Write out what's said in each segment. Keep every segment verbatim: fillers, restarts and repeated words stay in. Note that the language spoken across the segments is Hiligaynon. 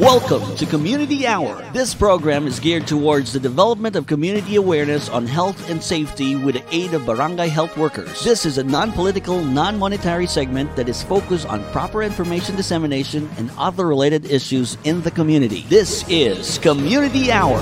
Welcome to Community Hour. This program is geared towards the development of community awareness on health and safety with the aid of barangay health workers. This is a non-political, non-monetary segment that is focused on proper information dissemination and other related issues in the community. This is Community Hour.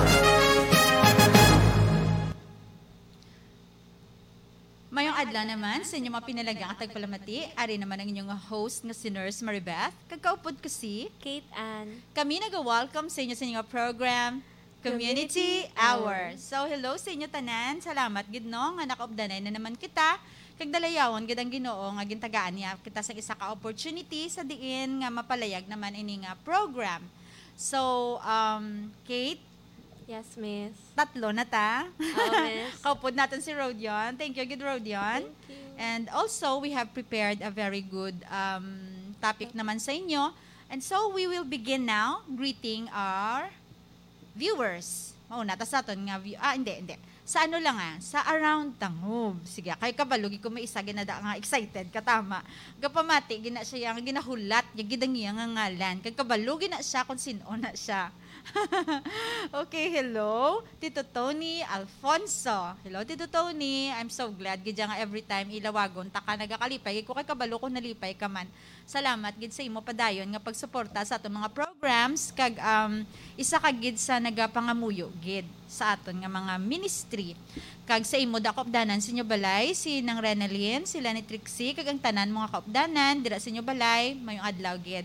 Mayong adlaw naman sa inyo mga pinalaga nga tagpalamati. Ari naman ang inyong host nga si Nurse Maribeth. Kag kaupod ko si Kate Ann. Kami naga-welcome sa inyo sa inyong program, Community Hour. So, hello sa inyo tanan. Salamat gid, no, nga nakaupdanay na naman kita. Kag dalayawon gid ang Ginoo nga gintagaan niya kita sa isa ka opportunity sa diin nga mapalayag naman ini nga program. So, um, Kate, Yes, miss. Tatlo na ta. Oo, miss. Kaupod natin si Rodion. Thank you, good Rodion. Thank you. And also, we have prepared a very good um, topic naman sa inyo. And so, we will begin now greeting our viewers. Mauna ta sa aton nga view. Ah, hindi, hindi. Sa ano lang ah, sa Around Tangub. Sige, kay kabalo gid ko may isa ginada nga excited ka, tama. Gapamati gina siya nga ginahulat niya gid ang iya nga ngalan. Kay kabalo gina siya kung sin-o na siya. Okay, hello. Tito Tony Alfonso. Hello, Tito Tony. I'm so glad gid nga every time ilawagon ta ka nagakalipay. Kay ko kay kabalo ko nalipay ka man. Salamat gid sa imo padayon nga pagsuporta sa aton mga programs kag um, isa ka gid sa nagapangamuyo gid sa aton nga mga ministry. Kag sa imo da kaupdanan sa inyo balay, si Nang Renalyn, sila ni Trixie, kag ang tanan mga kaupdanan dira sa inyo balay, mayong adlaw gid.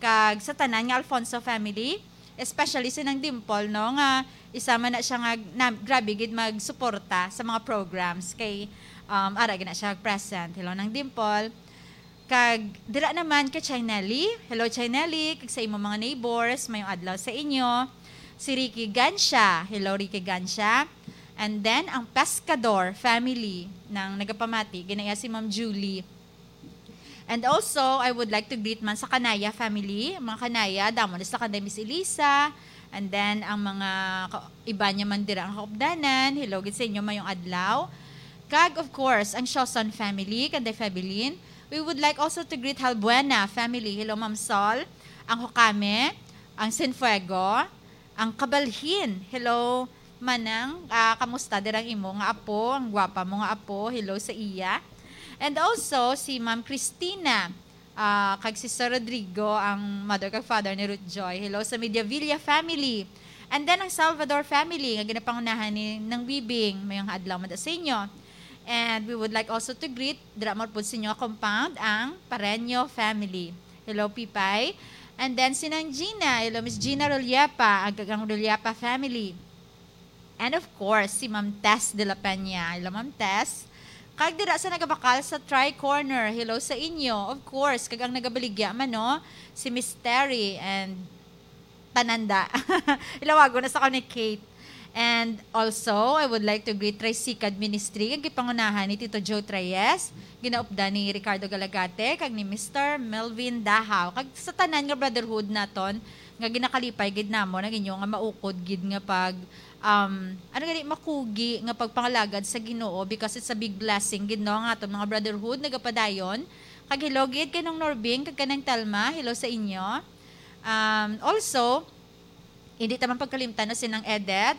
Kag sa tanan nga Alfonso family, especially si Nang Dimple, no, nga isa man na siya nga na, grabe gid magsuporta sa mga programs kay um, ara gid na siya present. Hello, Nang Dimple. Kag dira naman kay Chinelli. Hello, Chinelli. Kag sa imo mga neighbors, mayong adlaw sa inyo. Si Ricky Gancia. Hello, Ricky Gancia. And then, ang Pescador family nang nagapamati, ginaiya si Ma'am Julie. And also, I would like to greet man sa Kanaya family. Mga Kanaya, damo na sa kanday Miss Elisa. And then, ang mga ka- iba niya man dira ang kaupdanan. Hello, gid sa inyo, mayong adlaw. Kag, of course, ang Shoson family, kanday Febelin. We would like also to greet Halbuena family. Hello, Ma'am Sol. Ang Hokame, ang Sinfuego, ang Kabalhin. Hello, Manang. Ah, kamusta dirang imo nga apo? Ang gwapa mo nga apo. Hello sa iya. And also, si Ma'am Christina, ah, kag si Sir Rodrigo, ang mother kag father ni Ruth Joy. Hello sa Mediavilla family. And then, ang Salvador family, nga ginapangunahan ni Nang Bibing. Mayong adlaw man sa inyo. And we would like also to greet, dira mo po sa inyo compound, ang Pareño family. Hello, Pipay. And then, si Nang Gina. Hello, Miss Gina Rollepa, ang, ang Rollepa family. And of course, si Ma'am Tess de la Peña. Hello, Ma'am Tess. Kag dira sa nagabakal sa Tri Corner. Hello sa inyo. Of course, kag ang nagabaligya man, no? Si Miss Terry and Tananda. Ilawago na sa ko ni Kate. And also, I would like to greet Tricycad Ministry, kag gipangunahan ni Tito Joe Treyes, ginaupdan ni Ricardo Galagate, kag ni Mister Melvin Dahaw. Kag sa tanan nga brotherhood naton, nga ginakalipay gid namon ang inyo nga maukod gid nga pag um, ano gani, makugi nga pagpangalagad sa Ginoo, because it's a big blessing gid, no, nga aton mga brotherhood nagapadayon. Kag hello gid kay Nang Norbing kag kanang Telma, hello sa inyo. Um, also, hindi ta man pagkalimtan, no, si Nang Edet,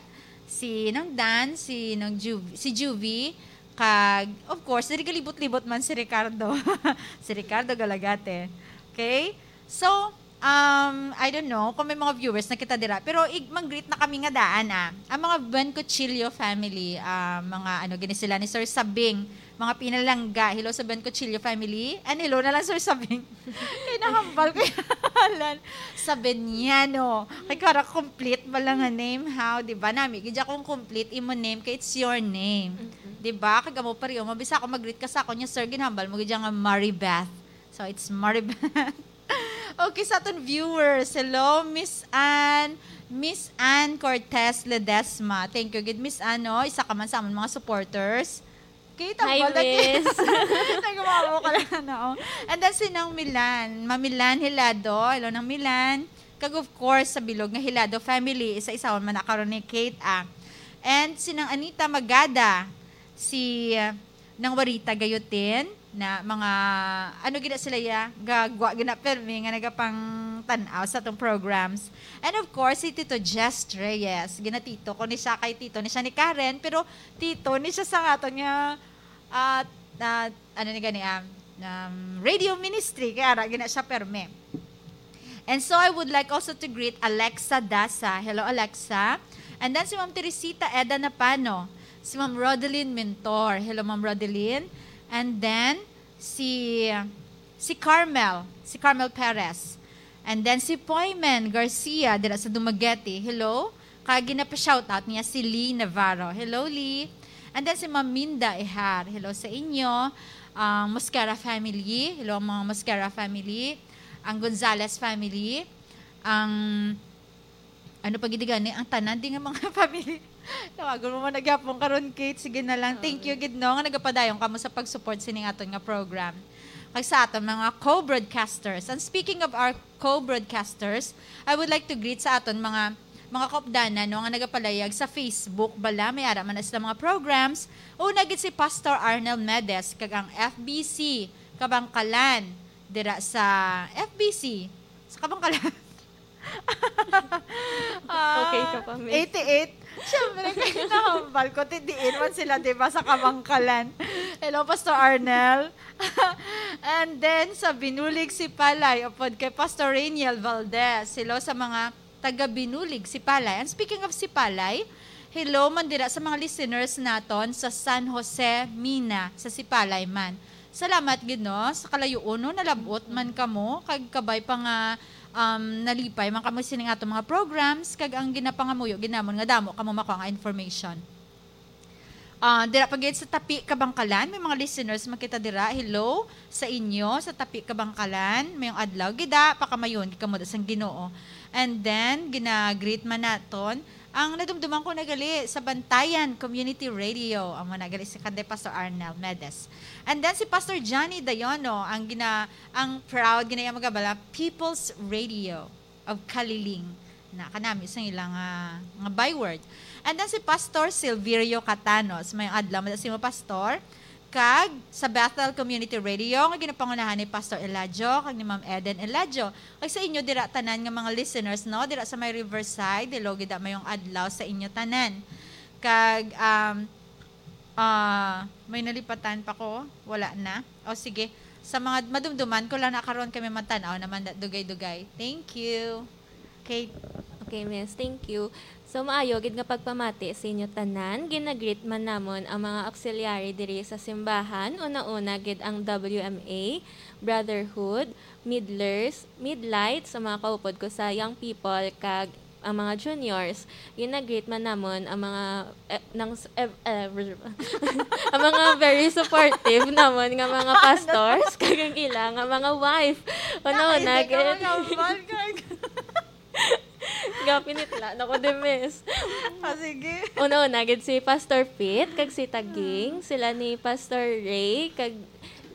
si Nang Dan, si Nang Ju- si Juvie, kag of course, diri galibot-libot man si Ricardo. Si Ricardo Galagate. Okay? So, um, I don't know kung may mga viewers na kita dira, pero ig mag-greet na kami nga daan, ah. Ang mga Buen Cuchillo family, ah, mga ano gini sila ni Sir Sabing, mga pinalangga. Hello sa Buen Cuchillo family. And hello na lang, Sir Sabing. Kay nahambal ko yung pangalan. Sabiniano. Kay kara complete ba lang nga name, how? Di ba? Nami, gidya kong complete imo name kay it's your name. Di ba? Kag amo pa rin, mabisa ako mag-greet ka sa ako niya, sir, ginhambal mo gidya nga Maribeth. So, it's Maribeth. Okay, sa aton viewers. Hello, Miss Ann. Miss Ann Cortez Ledesma. Thank you gid, Miss Ann, no? Isa ka man sa amon mga supporters. Okay, Hi, tambal na gid. Miss. Nagmamo ka lang, no? And then si Nang Milan. Ma'am Milan Hilado. Hello, Nang Milan. Kag of course, sa bilog nga Hilado family, isa-isahon man na karon ni Kate, ah. And si Nang Anita Magada, si uh, Nang Warita Gayutin, na mga, ano gina sila ya, gagwa gina permi nga nagapang tan-aw sa atong programs. And of course, si Tito Jess Reyes. Ginatito ko ni siya kay tito ni siya ni Karen, pero tito ni siya sa aton nga, ah, ah, ano ni gani, ah, um, radio ministry. Kaya ara, gina siya perme. And so I would like also to greet Alexa Dasa. Hello, Alexa. And then si Ma'am Teresita Eda Napano, si Ma'am Rodeline Mentor. Hello, Ma'am Rodeline. And then si si Carmel, si Carmel Perez. And then si Poymen Garcia dira sa Dumaguete. Hello. Kag ginapa-shoutout niya si Lee Navarro. Hello, Lee. And then si Ma'am Minda Ihar. Hello sa inyo. Ang Mosquera family. Hello, ang mga Mosquera family. Ang Gonzales family. Ang ano pa gid gani, ang tanan di nga mga family. Tawagon mo man na gyapon karon, Kate. Sige na lang. Thank you gid, no, nga nagapadayon kamo sa pag-support sining aton nga program. Kag sa aton mga co-broadcasters. And speaking of our co-broadcasters, I would like to greet sa aton mga mga kaupdanan, no, nga nagapalayag sa Facebook bala, may ara man na sila mga programs. Una gid si Pastor Arnel Medes kag ang F B C Kabangkalan dira sa F B C sa Kabangkalan. Ah, Okay ka pa, miss. Eighty-eight. Siyempre, kaya nahambal ko, ti diin man sila, di ba, sa Kabangkalan. Hello, Pastor Arnel. And then, sa Binulig si Palay, upod kay Pastor Rainiel Valdez. Hello sa mga taga Binulig si Palay. And speaking of si Palay, hello man dira sa mga listeners naton sa San Jose, Mina, sa Sipalay man. Salamat gid, no, sa kalayo-on, no, nalab-ot man kamo, kag kabay pa nga, um, nalipay man kamo sining ato mga programs, kag ang ginapangamuyo gid namon nga damo kamo makuha nga information. Ah, dira pa gid sa Tapi, Kabangkalan, may mga listeners man kita dira. Hello sa inyo sa Tapi, Kabangkalan. Mayong adlaw gid, ah, pakamayon gid kamo da sang Ginoo. And then gina-greet man naton ang nadumduman ko na gali sa Bantayan Community Radio. Amo na gali si Kande Pastor Arnel Medes. And then si Pastor Johnny Dayono ang gina ang proud ginaya magabala People's Radio of Kaliling. Na kanami sa ilang, ah, nga byword. And then si Pastor Silverio Catanos, may adlaw man sa imo, Pastor. Kag sa Bethel Community Radio nga ginapangunahan ni Pastor Eladio kag ni Ma'am Eden Eladio. Kag sa inyo dira tanan nga mga listeners, no, dira sa may Riverside, hello gid, mayong adlaw sa inyo tanan. Kag, um, ah, may nalipatan pa ko, wala na. O sige, sa mga madumduman ko lang na karon kami magtan-aw naman da- dugay-dugay. Thank you. Kate. Okay, miss. Thank you. So, maayo gid nga pagpamati sa inyo tanan. Ginagreet man namon ang mga auxiliary diri sa simbahan. Una-una gid ang W M A, Brotherhood, Midlers, Midlights, ang mga kaupod ko sa Young People, kag ang mga juniors. Ginagreet man namon ang mga, eh, nang, eh, eh, ang mga very supportive namon nga mga pastors, kag ang ila nga mga wife. Una-una Hindi ka gid. magambal, Kurt. Gapinitla na ko, de, miss. Ah, sige. Una-una gid si Pastor Pete kag si Taging, sila ni Pastor Ray kag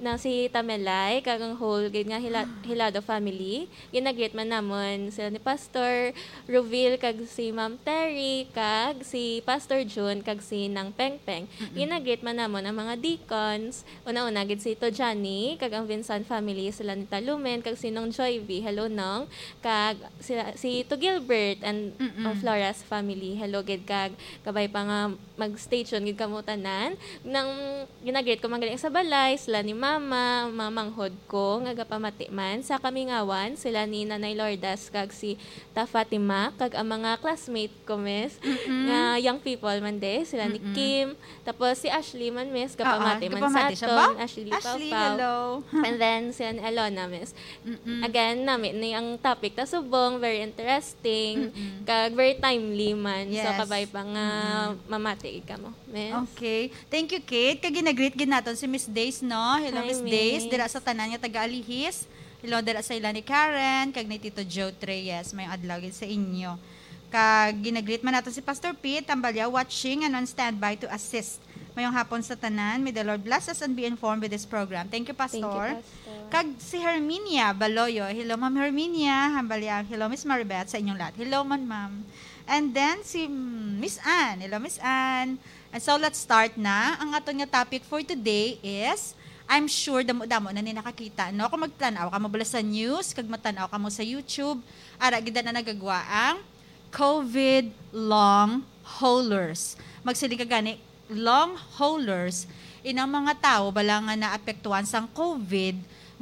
na si Tamelay kag ang whole gid nga Hila- Hilado family. Ginagreet man namon sila ni Pastor Rovil kag si Ma'am Terry kag si Pastor June kag si Nang Pengpeng. Ginagreet man namon ang mga deacons. Una-una gid si Tito Johnny kag ang Vinson family, sila ni Talumen kag si Nong Joy V. Hello, Nong. Kag sila, si Tito Gilbert and Mm-mm. ang Flores family. Hello gid, kag kabay pa nga mag-stay tuned gid kamo tanan. Nang ginagreet ko man gali sa balay, sila ni Mama, mga manghod ko nga gapamati man sa Kamingawan, sila ni Nanay Lourdes kag si Ta Fatima, kag ang mga classmate ko, miss, Mm-mm. nga young people man de, sila ni Mm-mm. Kim. Tapos si Ashley man, miss, Oo, gapamati man sa gapamati siya aton. ba? Ashley, Ashley, Pawpaw. Hello. And then, sila ni Alona, miss. Mm-mm. Again, nami ni ang topic ta subong, very interesting, Mm-mm. kag very timely man. So, Yes. kabay pa nga Mm-mm. mamati gid kamo, miss. Okay. Thank you, Kate. Kag ginagreet gid naton si Miss Days, no? Hello, Hi, Miss Days. Miss. Dira sa tanan nga taga-Alihis. Hello, dira sa ila ni Karen, kag ni Tito Joe Treyes. May adlaw gid sa inyo. Kag ginagreet man nato si Pastor Pete Tambalya, watching and on standby to assist. Mayong hapon sa tanan. May the Lord bless us and be informed with this program. Thank you, Pastor. Thank you, Pastor. Kag si Herminia Baloyo. Hello, Ma'am Herminia. Hambalyang, hello, Miss Maribeth, sa inyong lahat. Hello man, Ma'am. And then si, mm, Miss Anne. Hello, Miss Anne. And so, let's start na. Ang aton nga topic for today is I'm sure damo-damo na ni nakakita, no? Kung magtan-aw ka mo bala sa news, kag magtan-aw ka mo sa YouTube, ara gid na nagagwa ang COVID long haulers. Magsiling ka gani, long haulers, inang mga tawo bala nga naapektuhan sang COVID,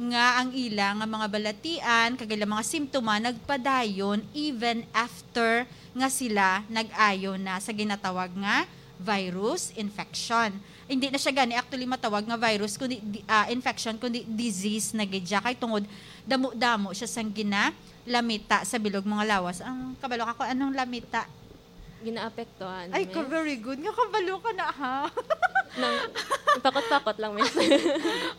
nga ang ila nga mga balatian kag ila mga simptoma nagpadayon even after nga sila nag-ayo na sa ginatawag nga virus infection. Hindi na siya gani actually matawag nga virus, kundi di- ah, infection, kundi disease na gid siya, kay tungod damo-damo siya sang ginalamita sa bilog mga lawas. Ang kabalo ka kung anong lamita? Ginaapektuhan. Ay, ka miss. Very good nga kabalo ka na, ha? Nang, pakot-pakot lang, miss.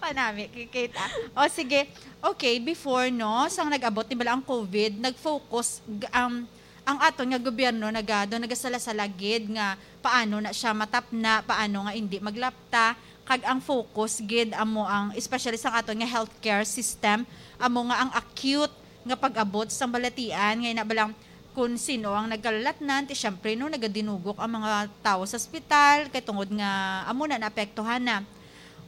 Panami, kikita. O sige. Okay, before, no, sang nag-abot ni bala ang COVID, nag-focus g- ang ang aton nga gobyerno nagado nagasala-sala gid nga paano na siya matapna, paano nga hindi maglapta, kag ang focus gid amo ang, especially sang aton nga healthcare system, amo nga ang acute nga pag-abot sang balatian, nga ina balang kun sino ang nagkalalatnan, ti syempre, no, nagadinugok ang mga tawo sa ospital kay tungod nga amo na naapektuhan na.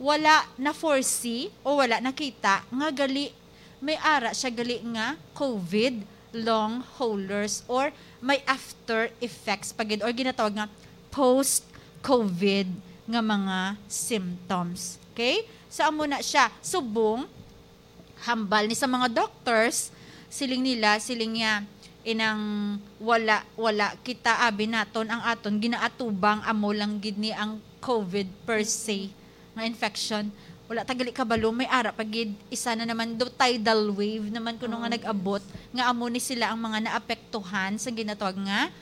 Wala na foresee o wala nakita nga gali may ara siya gali nga COVID long haulers or may after effects pa gid or ginatawag nga post COVID nga mga symptoms. Okay? So, amo na siya. Subong, hambal ni sa mga doctors, siling nila, siling niya, inang wala, wala kita abi naton ang aton ginaatubang, amo lang gid ni ang COVID per se nga infection. Wala ta gali kabalo, may ara pa gid isa na naman do tidal wave naman kuno nga nag-abot, nga amo ni sila ang mga naapektuhan sa ginatawag nga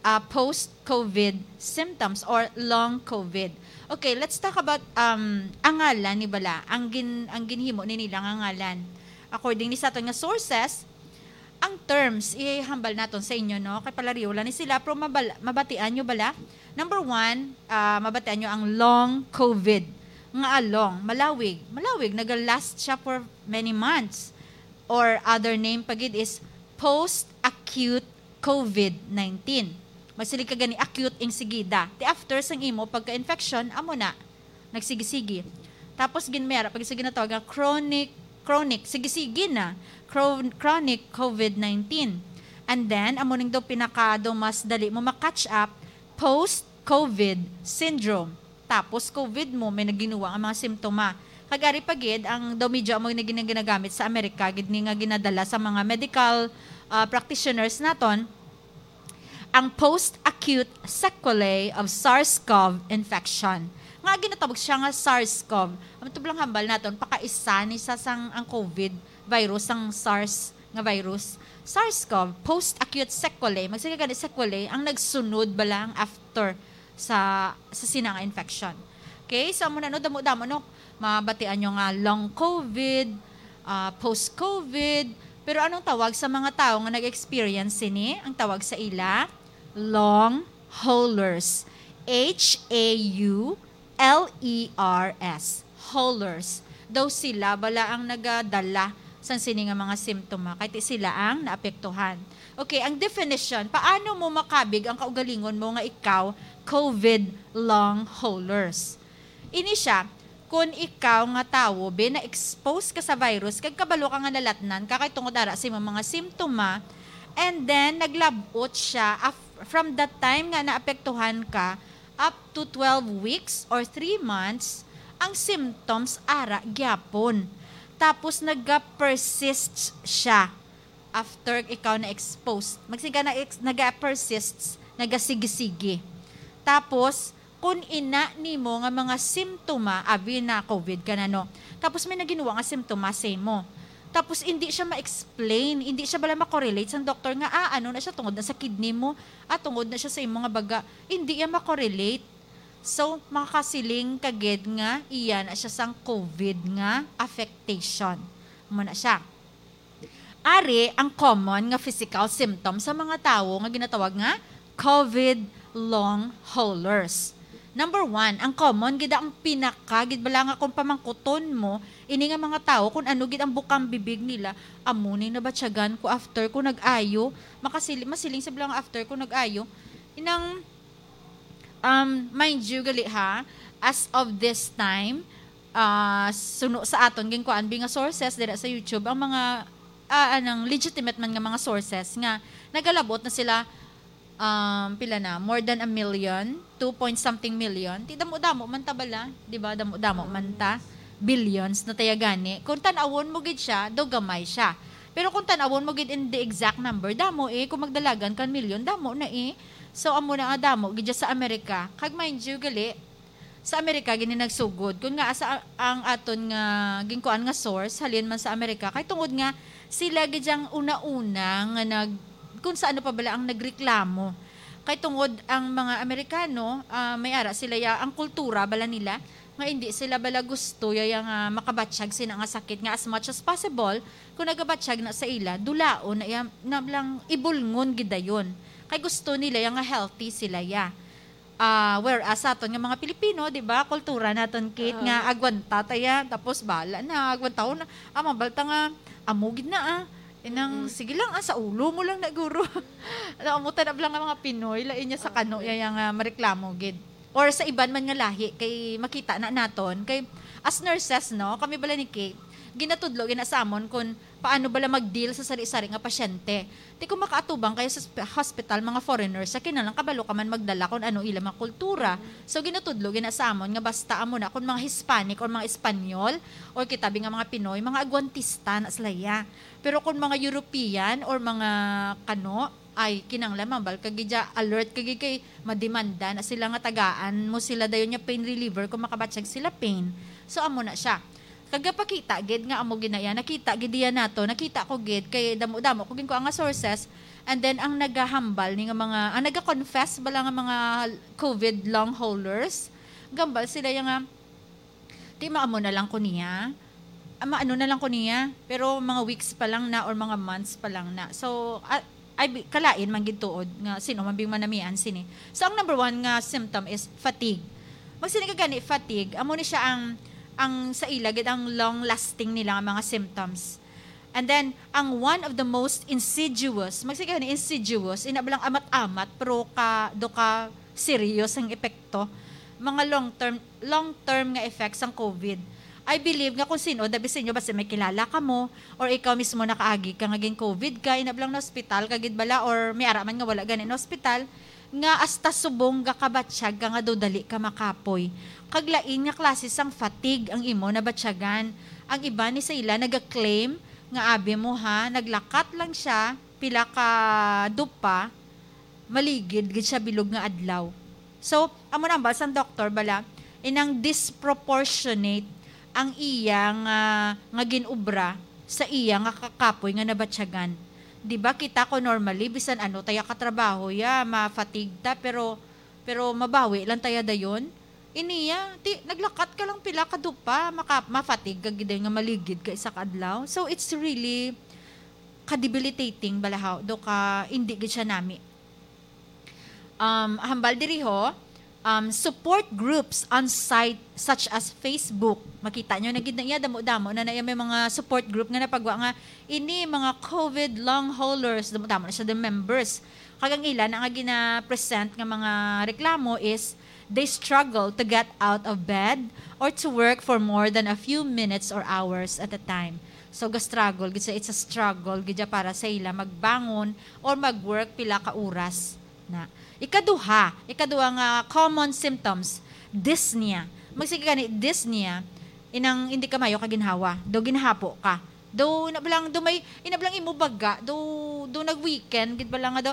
ah, post-COVID symptoms or long COVID. Okay, let's talk about um, ang ngalan ni bala, ang gin ang ginhimo ni nila nga ngalan. According ni sa aton nga sources, ang terms ihambal naton sa inyo, no, kay palariw lang ni sila, pero mabal- mabatian nyo bala? Number one, ah, mabatian nyo ang long COVID. Nga long, malawig. Malawig, naga-last siya for many months. Or other name pa gid is post-acute COVID nineteen. Magsiling ka gani, acute ing sigida. Ti after sang imo pagka-infection, amo na, nagsigi-sigi. Tapos ginmera pag sa ginatawag nga chronic, chronic, sige-sige na, chro- chronic COVID nineteen. And then, amo ning daw pinaka daw mas dali mo ma-catch up, post-COVID syndrome. Tapos COVID mo, may naginuwa nga mga simptoma. Kag ari pa gid, ang daw medyo amo na gina- ginagamit sa Amerika gid ni nga ginadala sa mga medical ah, practitioners naton, ang post-acute sequelae of SARS-CoV infection. Nga ginatawag siya nga SARS-CoV. Ang tublang hambal naton, pakaisa ni sa sang ang COVID virus, sang SARS nga virus. SARS-CoV, post-acute sequelae. Magsiling ka gani sequelae, ang nagsunod bala ang after sa sa sina nga infection. Okay, so amo na, no, damo-damo, no, mabatian nyo nga long COVID, ah, post-COVID. Pero anong tawag sa mga tawo nga nag-experience sini? Ang tawag sa ila, long haulers. H A U L E R S. Haulers. Daw sila bala ang nagadala sang sini nga mga simptoma, kay ti sila ang naapektuhan. Okay, ang definition, paano mo makabig ang kaugalingon mo nga ikaw COVID long haulers? Ini siya, kun ikaw nga tawo, be, na-expose ka sa virus, kag kabalo ka nga nalatnan ka kay tungod ara sa imong mga simptoma, and then naglab-ot siya af- from the time nga naapektuhan ka up to twelve weeks or three months, ang symptoms ara gyapon. Tapos naga-persist siya after ikaw na-exposed. Magsiga na ex- naga-persist, nagasigi-sigi. Tapos, kung ina nimo nga mga simptoma, abi na COVID ka na, no? Tapos may naginuwa nga simptoma sa imo. Tapos hindi siya ma-explain, hindi siya bala makorelate sang doktor nga, ah, ano na siya, tungod na sa kidney mo, ah, tungod na siya sa imo nga baga. Hindi iya makorelate. So, makakasiling ka gid nga iya na siya sang COVID nga affectation. Amo na siya. Ari ang common nga physical symptom sa mga tawo nga ginatawag nga COVID long haulers. Number one, ang common gid ang pinaka gid bala nga kung pamangkuton mo ini nga mga tawo kung ano gid ang bukang bibig nila, amo ni nabatyagan ko after ko nag-ayo, makasili masiling sa bala nga after ko nag-ayo. Inang um, mind you gali ha, as of this time, ah, suno sa aton ginkuan bi nga sources dira sa YouTube, ang mga, ah, anang legitimate man nga mga sources nga nagalabot na sila, um, pila na, more than a million, two point something million. Ti damo-damo man ta bala, di ba? Damo-damo man ta. Billions na taya gani. Kung tan-awon mo gid siya, do gamay siya. Pero kung tan-awon mo gid in the exact number, damo eh. Kung magdalagan kan milyon, damo na eh. So, amo na nga damo gid siya sa Amerika. Kag mind you, gali, sa Amerika gini nagsugod. Kun nga asa ang aton nga ginkuan nga source halin man sa Amerika, kay tungod nga sila gid ang una-una nga nag, kung sa ano pa bala ang nagreklamo. Kay tungod ang mga Amerikano, ah, may ara sila ya, ang kultura bala nila nga hindi sila bala gusto ya, ya nga makabatyag sina nga sakit nga as much as possible, kung nagabatyag na sa ila, dulaon na ya, na lang ibulngon gid dayon. Kay gusto nila ya nga healthy sila ya. Ah, whereas sa aton nga mga Pilipino, di ba, kultura naton, Kate, nga Oo. agwanta ta ya, tapos bala na, agwantahon na, ah, mabalta nga, amo gid na, ah. Inang, Mm. sige lang, ah, sa ulo mo lang na, guro. Alam mo, tanab lang nga mga Pinoy, lain niya sa kano, Okay. ya, ya nga mareklamo gid. Or sa iban man nga lahi, kay makita na naton, kay as nurses, no, kami bala ni Kate, ginatudlo gina sa amon kung paano bala mag-deal sa sari-sari nga pasyente. Ti kung makaatubang kayo sa sp-, hospital, mga foreigners, sa kinahanglan kabalo ka man magdala kung ano ila mga kultura. So, ginatudlo gina sa amon nga basta amo na, kung mga Hispanic or mga Espanyol, or kita bi nga mga Pinoy, mga agwantista na sila ya. Pero kung mga European or mga kano, ay, kinanglan mambal ka gid ya, alert ka gid kay mademanda na sila nga tagaan mo sila dayon nga pain reliever kung makabatyag sila pain. So, amo na siya. Kag gapakita gid nga amo gid na iya. Nakita gid iya nato. Nakita ko gid kay damo-damo ko gid ko ang sources. And then ang nagahambal ni nga mga, ang nagaconfess bala nga mga covid long haulers, gambal sila ya nga, "Di maamo na lang ko niya. Ah, maano na lang ko niya." Pero mga weeks pa lang na or mga months pa lang na. So, ah, ay, bi-, kalain man gid tuod nga sino man bing manamian sini. So, ang number one nga symptom is fatigue. Magsini ka gani, fatigue, amo ni siya ang, ang sa ila gid ang long lasting nila nga mga symptoms. And then, ang one of the most insidious, magsige ni insidious, ina ba lang amat-amat, pero ka, do ka serious ang epekto, mga long term, long term nga effects sang covid. I believe nga kung sino, dabi sa inyo, basta may kilala ka mo, or ikaw mismo nakaagi ka nga gin covid ka, ina ba lang na ospital ka gid bala, or may ara man nga wala gani na ospital, nga hasta subong gakabatyag ka nga daw dali ka makapoy. Kag lain nga klase sang fatigue ang imo nabatyagan. Ang iban ni sa ila naga-claim nga, "Abi mo ha, naglakat lang siya, pila ka dupa, maligid gid siya bilog nga adlaw." So, amo na ang bal sang doktor bala, inang disproportionate ang iya nga, nga gin-obra sa iya nga kakapoy nga nabatyagan. Di ba kita ko normally, bisan ano taya ka trabaho ya, ma-fatigue ta, pero, pero mabawi lang taya dayon. Iniya, ti, naglakat ka lang pila ka dupa, maka-, ma-fatigue ka gid nga maligid ka isa ka adlaw. So, it's really ka-debilitating balahaw, do ka, hindi gid siya nami. Um, hambal diri ho, um, support groups on site such as Facebook. Makita nyo na gid na iya, damo-damo na na iya may mga support group nga napagwa nga ini mga covid long haulers, damo-damo na siya the members. Kag ang ila na nga gina-present nga mga reklamo is they struggle to get out of bed or to work for more than a few minutes or hours at a time. So, ga-struggle gid siya. It's a struggle gid siya para sa ila magbangon or mag-work pila ka oras na. Ikaduha, ikaduha nga common symptoms, dyspnea. Magsige gani, dyspnea, inang hindi ka mayo ka ginhawa, do ginhapo ka. Do na lang, do may, ina lang imo baga, do, do nag-weekend, gid ba lang nga do,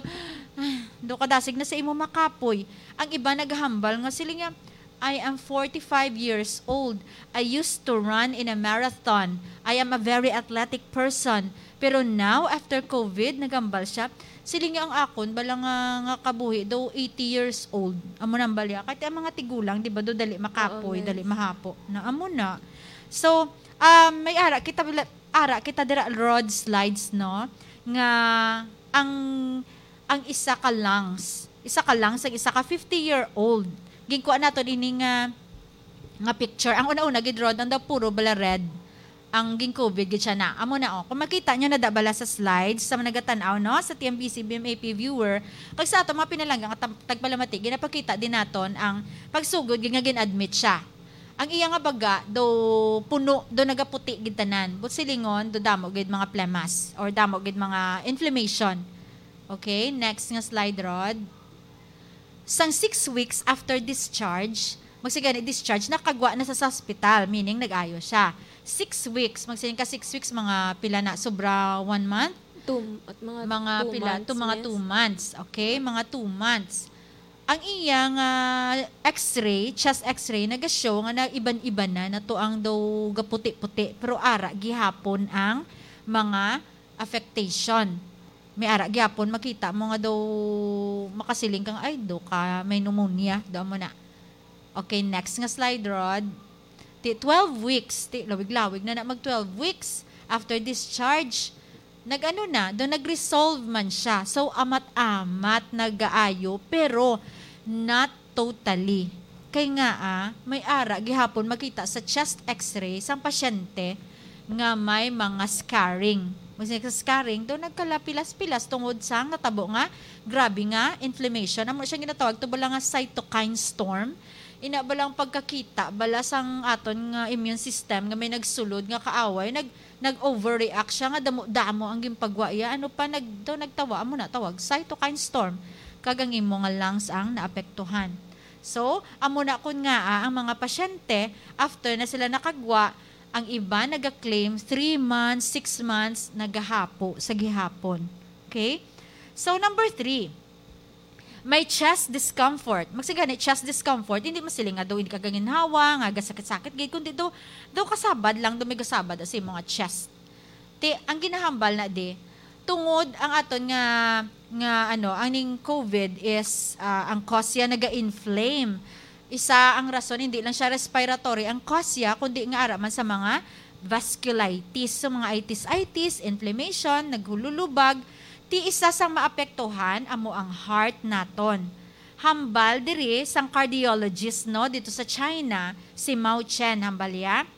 do kadasig na sa imo makapoy. Ang iba naghambal nga sila nga, "I am forty-five years old. I used to run in a marathon. I am a very athletic person. Pero now, after covid," nagambal siya, "siling niya ang akon, bala nga, nga kabuhi, daw eighty years old." Amo nang balya. Kahit ang mga tigulang, di ba, do dali makapoy, Oo, dali nice. mahapo. Na, amo na. So, um, may ara, kita, bila- ara, kita dira road slides, no? Nga, ang, ang isa ka lungs, isa ka lungs, ang isa ka fifty-year-old. Ginkuha nato ini nga, nga picture. Ang una-una, gid, Rod, ang daw puro bala red. Ang gin-covid gid siya na. Amo na, oh. Kung makita nyo na da bala sa slides, sa mga nagatan-aw, no? Sa T M B C, B M A P viewer, kag sa ato mga pinalangga nga tam-, tagpalamati, ginapakita din naton ang pagsugod gid nga gin-admit siya. Ang iya nga baga do puno, do nagaputi gid tanan. But silingon, do damo gid mga plemas or damo gid mga inflammation. Okay, next nga slide, Rod. Sang six weeks after discharge, magsigani discharge, nakagwa na sa, sa hospital, meaning nag-ayo siya. Six weeks, magsiling ka six weeks, mga pila na, sobra one month? Two, at mga Mga two pila, months, to mga yes. two months. Okay, mga two months. Ang iya nga X-ray, chest X-ray, naga-show nga naiban-iban na, na to ang daw gaputi-puti, pero ara gihapon ang mga affectation. May ara gihapon makita mo nga daw makasiling kang, "Ay, do ka, may pneumonia," do mo na. Okay, next nga slide, Rod. Ti twelve weeks, ti lawig-lawig na na mag twelve weeks after discharge. Nag-ano na, do nag-resolve man siya. So, amat-amat nagaayo, pero not totally. Kay nga, ah, may ara gihapon makita sa chest X-ray sang pasyente nga may mga scarring. Mas sa scarring, do nagkalapilas-pilas tungod sa natabo nga grabe nga inflammation. Amo siya ginatawag to bala nga cytokine storm. Ina bala ang pagkakita bala sang aton nga immune system nga may nagsulod nga kaaway, nag nag-overreact siya nga damo-damo ang ginpagwa iya. Ano pa, nag daw nagtawa, amo na tawag cytokine storm. Kag ang imo nga lungs ang naapektuhan. So, amo na kun nga, ah, ang mga pasyente, after na sila nakagwa, ang iba naga-claim three months, six months, nagahapo sa gihapon. Okay? So, number three, may chest discomfort. Magsigani, chest discomfort, hindi masiling nga daw hindi ka ganginhawa, nga gasakit-sakit gid, kundi daw, daw kasabad lang, daw may gasabad sa imo nga chest. Ti, ang ginahambal na di, tungod ang aton nga, nga ano, ang ning COVID is, ah, ang cause siya naga-inflame. Isa ang rason, hindi lang siya respiratory ang cause siya, kundi nga ara man sa mga vasculitis, sa mga itis-itis, inflammation, naghululubag. Ti isa sang maapektuhan amo ang heart naton. Hambal diri sang cardiologist, no, dito sa China, si Mao Chen, hambal ya.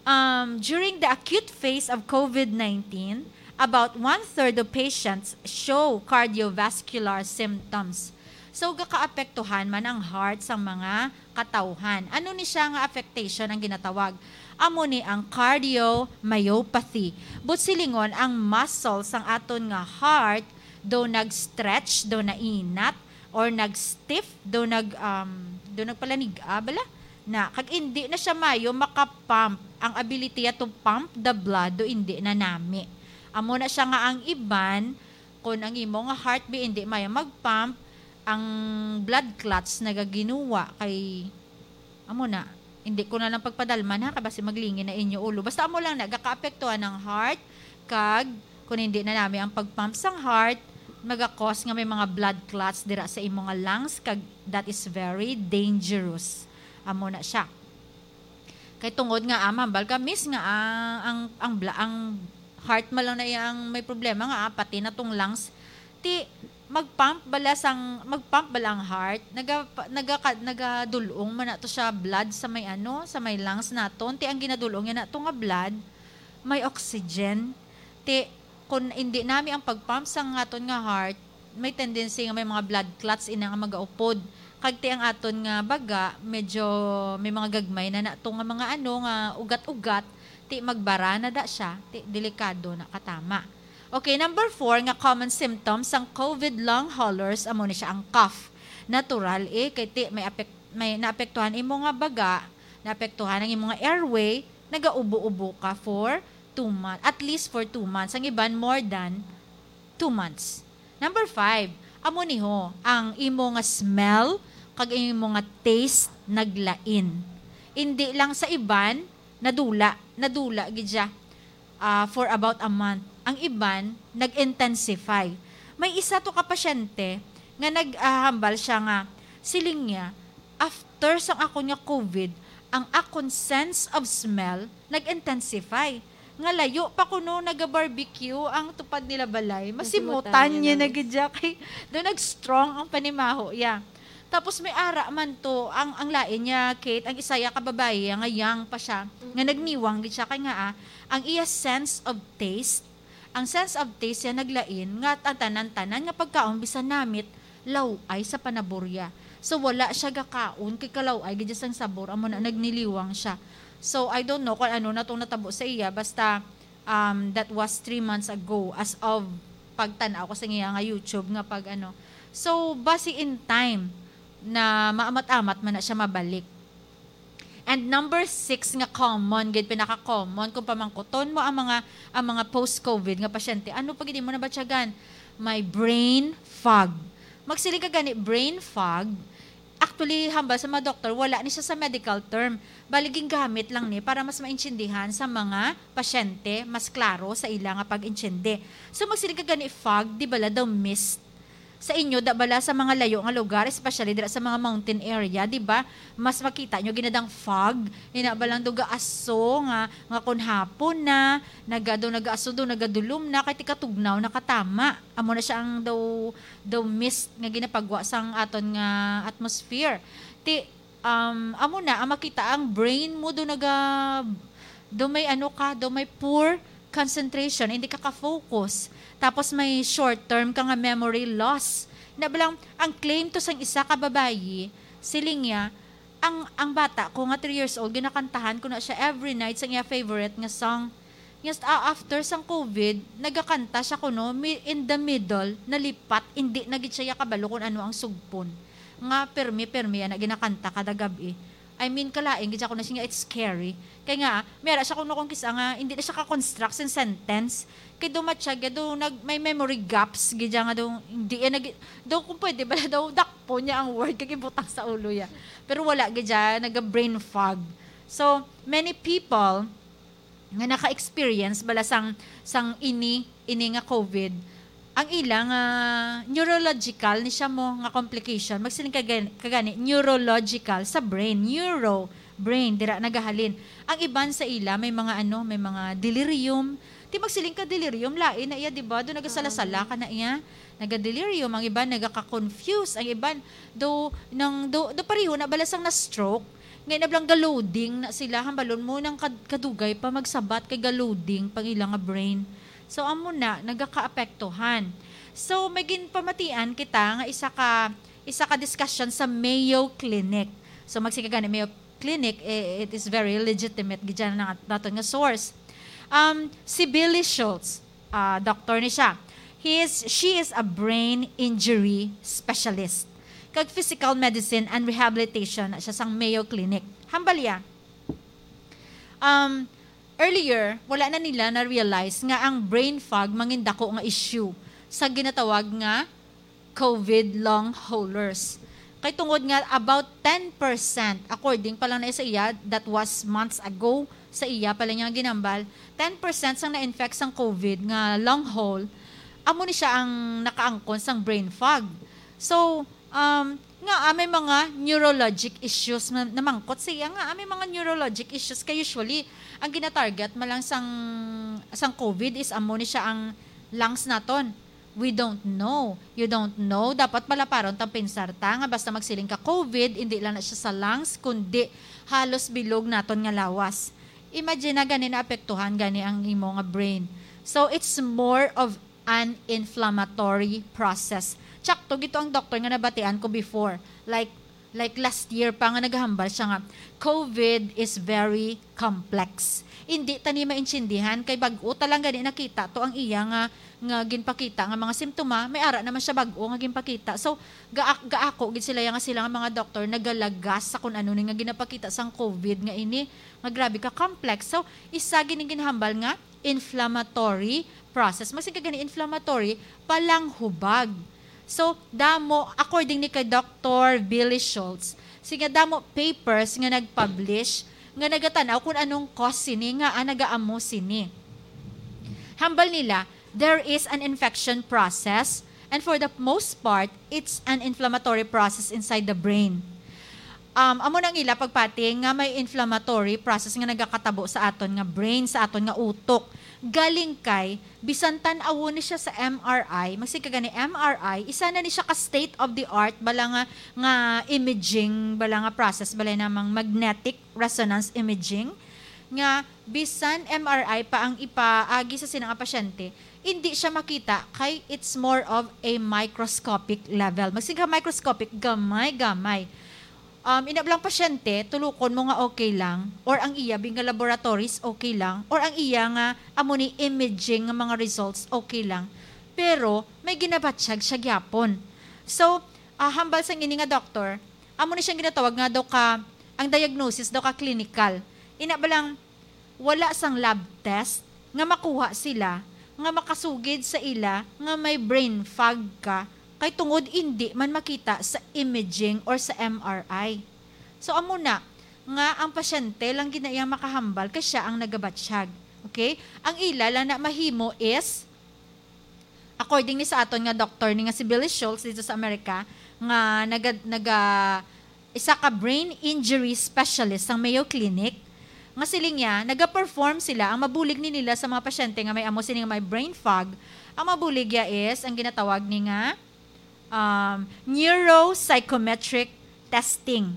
Um, during the acute phase of COVID nineteen, about one-third of patients show cardiovascular symptoms. So, gakaapektuhan man ang heart sang mga katawhan. Ano ni siya nga affectation ang ginatawag? Amo ni ang cardiomyopathy. But silingon, ang muscle sang aton nga heart do nag-stretch, do nainat, or nag-stiff, do nag, um, do nagpalanig-a bala na, kag indi na siya mayo maka-pump. Ang ability to pump the blood do indi na nami. Amo na siya nga ang iban, kun ang imo nga heart bi indi mayo mag-pump, ang blood clots nagaginuwa kay, amo na, hindi ko na lang pagpadalman ha, kay basi maglingi na inyo ulo. Basta amo lang na, gakaapektuhan ang heart, kag kun hindi na nami ang pag-pump sang heart, maga-cause nga may mga blood clots dira sa imo nga lungs, kag that is very dangerous. Amo na siya. Kay tungod nga, ah, mambal ka, miss nga, ah, ang, ang, bla- ang heart man lang na iya ang may problema nga, ah, pati na tong lungs. Ti, mag-pump bala sang, mag-pump bala ang heart, naga, naga, nagadulong man na to siya blood sa may ano, sa may lungs naton. Ti ang ginadulong niya na to nga blood, may oxygen. Ti, kun hindi nami ang pag-pump sang aton nga heart, may tendency nga may mga blood clots ina nga magaupod. Kag ti ang aton nga baga, medyo may mga gagmay na nato nga mga ano, nga ugat-ugat, ti magbara na da siya, ti delikado na katama. Okay, number four nga common symptoms sang COVID long haulers, amo ni siya ang cough. Natural, eh, kay ti may apek-, may naapektuhan imo nga baga, naapektuhan ang imo nga airway, nagaubo-ubo ka for two months, at least for two months. Ang iban, more than two months. Number five, amo ni ho, ang imo nga smell kag imo nga taste naglain. Hindi lang sa iban, nadula, nadula gid siya, ah, for about a month. Ang iban, nag-intensify. May isa to ka pasyente nga naghambal siya nga, siling niya, after sang akon nga COVID, ang akon sense of smell nag-intensify. Nga layo pa kuno naga-barbecue ang tupad nila balay, masimutan Masimutan niya niya na na gid siya kay do nag-strong ang panimaho iya. Tapos may ara man to, ang, ang lain niya, Kate, ang isa ya ka babayi ya nga young pa siya, nga nagniwang gid siya kay nga, ah, ang iya sense of taste, ang sense of taste ya naglain, nga ang tanan-tanan nga pagkaon bisan namit, law-ay sa panaburya. So, wala siya gakaon kay kalaw-ay gid sang sabor, amo na nagniliwang siya. So, I don't know kung ano na tong natabo sa iya, basta, um, that was three months ago, as of pagtan-aw ko sa iya nga YouTube nga pag ano. So, basi in time na maamat-amat man na siya mabalik. And number six nga common gid, pinaka-common kung pamangkuton mo ang mga, ang mga post-COVID nga pasyente, ano pa gid mo nabatyagan? May brain fog. Magsiling ka gani, brain fog, actually, hambal sa mga doktor, wala ni siya sa medical term. Bali, gingamit lang ni para mas maintindihan sa mga pasyente, mas klaro sa ila nga pag-intindi. So, magsiling ka gani, fog, di bala daw mist? Sa inyo, da bala sa mga layo nga lugar, especially dira sa mga mountain area, di ba? Mas makita nyo ginadang fog, ina ba lang daw gaaso nga, nga kun hapon na, nagado, nagaaso daw, nagadulom na, kay tikatugnaw, nakatama. Amo na siya ang daw, daw mist nga ginapagwa sang aton nga atmosphere. Ti, um, amo na, ang makita ang brain mo do naga, do may ano ka, do may poor concentration, hindi ka ka-focus. Tapos may short term ka nga memory loss. Na ba lang, ang claim to sang isa ka babayi, siling niya, ang, ang bata ko nga three years old, ginakantahan ko na siya every night sang iya favorite nga song. Yes, ah, after sang COVID, nagakanta siya kuno, mi-, in the middle, nalipat, hindi na gid siya kabalo kung ano ang sugpon. Nga permi-permi ana ginakanta kada gab-i. I mean, kalain gid siya kuno siya nga it's scary. Kay nga, may ara siya kuno kung kisa nga, hindi na siya ka-construct sin sentence. Kay do matsyag, do nag, may memory gaps gid siya nga do, hindi yan nag, do kung pwede ba daw dakpo niya ang word kay gibutang sa ulo ya. Pero wala gid siya, naga-brain fog. So, many people, nga naka-experience bala sang, sang ini, ini nga COVID, ang ila nga neurological ni siya mo nga complication, magsiling ka gani, ka gani, neurological sa brain, neuro, brain, dira nagahalin. Ang iban sa ila may mga ano, may mga delirium. Ti magsiling ka delirium, lain na iya, di ba? Do nagasala-sala ka na iya. Nagadelirium, ang iban nagaka-confuse, ang iban do nang do, do pareho na bala sang na-stroke, nga nablang ga-loading na sila, hambalon mo nang kad-, kadugay pa magsabat kay ga-loading pang ila nga brain. So, amo na, nagakaapektuhan. So, may ginpamatian kita nga isa ka, isa ka discussion sa Mayo Clinic. So, magsiling ka gani, Mayo Clinic, eh, it is very legitimate gid yan na naton nga source. Um, si Billy Schultz, ah, doktor ni siya. He is, she is a brain injury specialist. Kag physical medicine and rehabilitation na siya sang Mayo Clinic. Hambal iya, um, earlier, wala na nila na-realize nga ang brain fog mangindako nga issue sa ginatawag nga COVID long haulers. Kay tungod nga about ten percent, according pa lang na sa iya, that was months ago, sa iya pa lang niya ginambal, ten percent sang na-infect sang COVID nga long haul, amo ni siya ang nakaangkon sang brain fog. So, um, nga, ah, may mga neurologic issues na namangkot sa iya nga, ah, may mga neurologic issues kay usually, ang ginatarget man lang sang, sang COVID is amo ni siya ang lungs naton. We don't know. You don't know. Dapat malaparon tang pinsar ta nga basta magsiling ka COVID, hindi lang na siya sa lungs, kundi halos bilog naton nga lawas. Imagine na gani naapektuhan gani ang imo nga brain. So, it's more of an inflammatory process. Tsakto gito ang doktor nga nabatian ko before. Like, like last year pa nga naghambal siya nga COVID is very complex. Hindi ta ni maintindihan kay bag-o ta lang gani nakita to ang iya nga, nga ginpakita nga mga simptoma, may ara naman siya bag-o nga ginpakita. So, ga-, gaako gid sila ya nga sila nga mga doktor nagalagas sa kun ano ni nga ginapakita sang COVID nga ini nga grabe ka complex. So, isa gid ni ginhambal nga inflammatory process. Magsiling ka gani inflammatory, palanghubag. So, damo, according ni kay Doktor Billy Schultz, siya damo papers nga nag-publish nga nagatan-aw kung anong cause sini nga, ah, nagaamo sini. Hambal nila, there is an infection process, and for the most part, it's an inflammatory process inside the brain. Um, amo nang ila pagpati nga may inflammatory process nga nagakatabo sa aton nga brain, sa aton nga utok. Galing kay, bisan tan-awon ni siya sa M R I, magsiling ka gani M R I, isa na ni siya ka state of the art, bala nga, nga imaging, bala nga process, bala namang magnetic resonance imaging, nga bisan M R I pa ang ipaagi sa sina nga pasyente, hindi siya makita kay it's more of a microscopic level. Magsiling ka microscopic, gamay-gamay. Um, ina lang pasyente, tulukon mo nga okay lang, or ang iya bing nga laboratories okay lang, or ang iya nga amo ni imaging nga mga results okay lang, pero may ginabatyag siya gyapon. So, ah, hambal sang ini nga doktor, amo ni siyang ginatawag nga daw ka, ang diagnosis daw ka clinical. Ina ba lang, wala sang lab test nga makuha sila nga makasugid sa ila nga may brain fog ka, kay tungod indi man makita sa imaging or sa M R I. So, amo na nga ang pasyente lang gid na iya makahambal kay siya ang nagabatyag. Okay? Ang ila lang na mahimo is, according ni sa aton nga doktor ni nga si Billy Schultz dito sa Amerika, nga naga, naga, isa ka brain injury specialist sang Mayo Clinic, nga siling niya, naga-perform sila, ang mabulig ni nila sa mga pasyente nga may amo sini nga may brain fog, ang mabulig ya is ang ginatawag ni nga, um, neuropsychometric testing.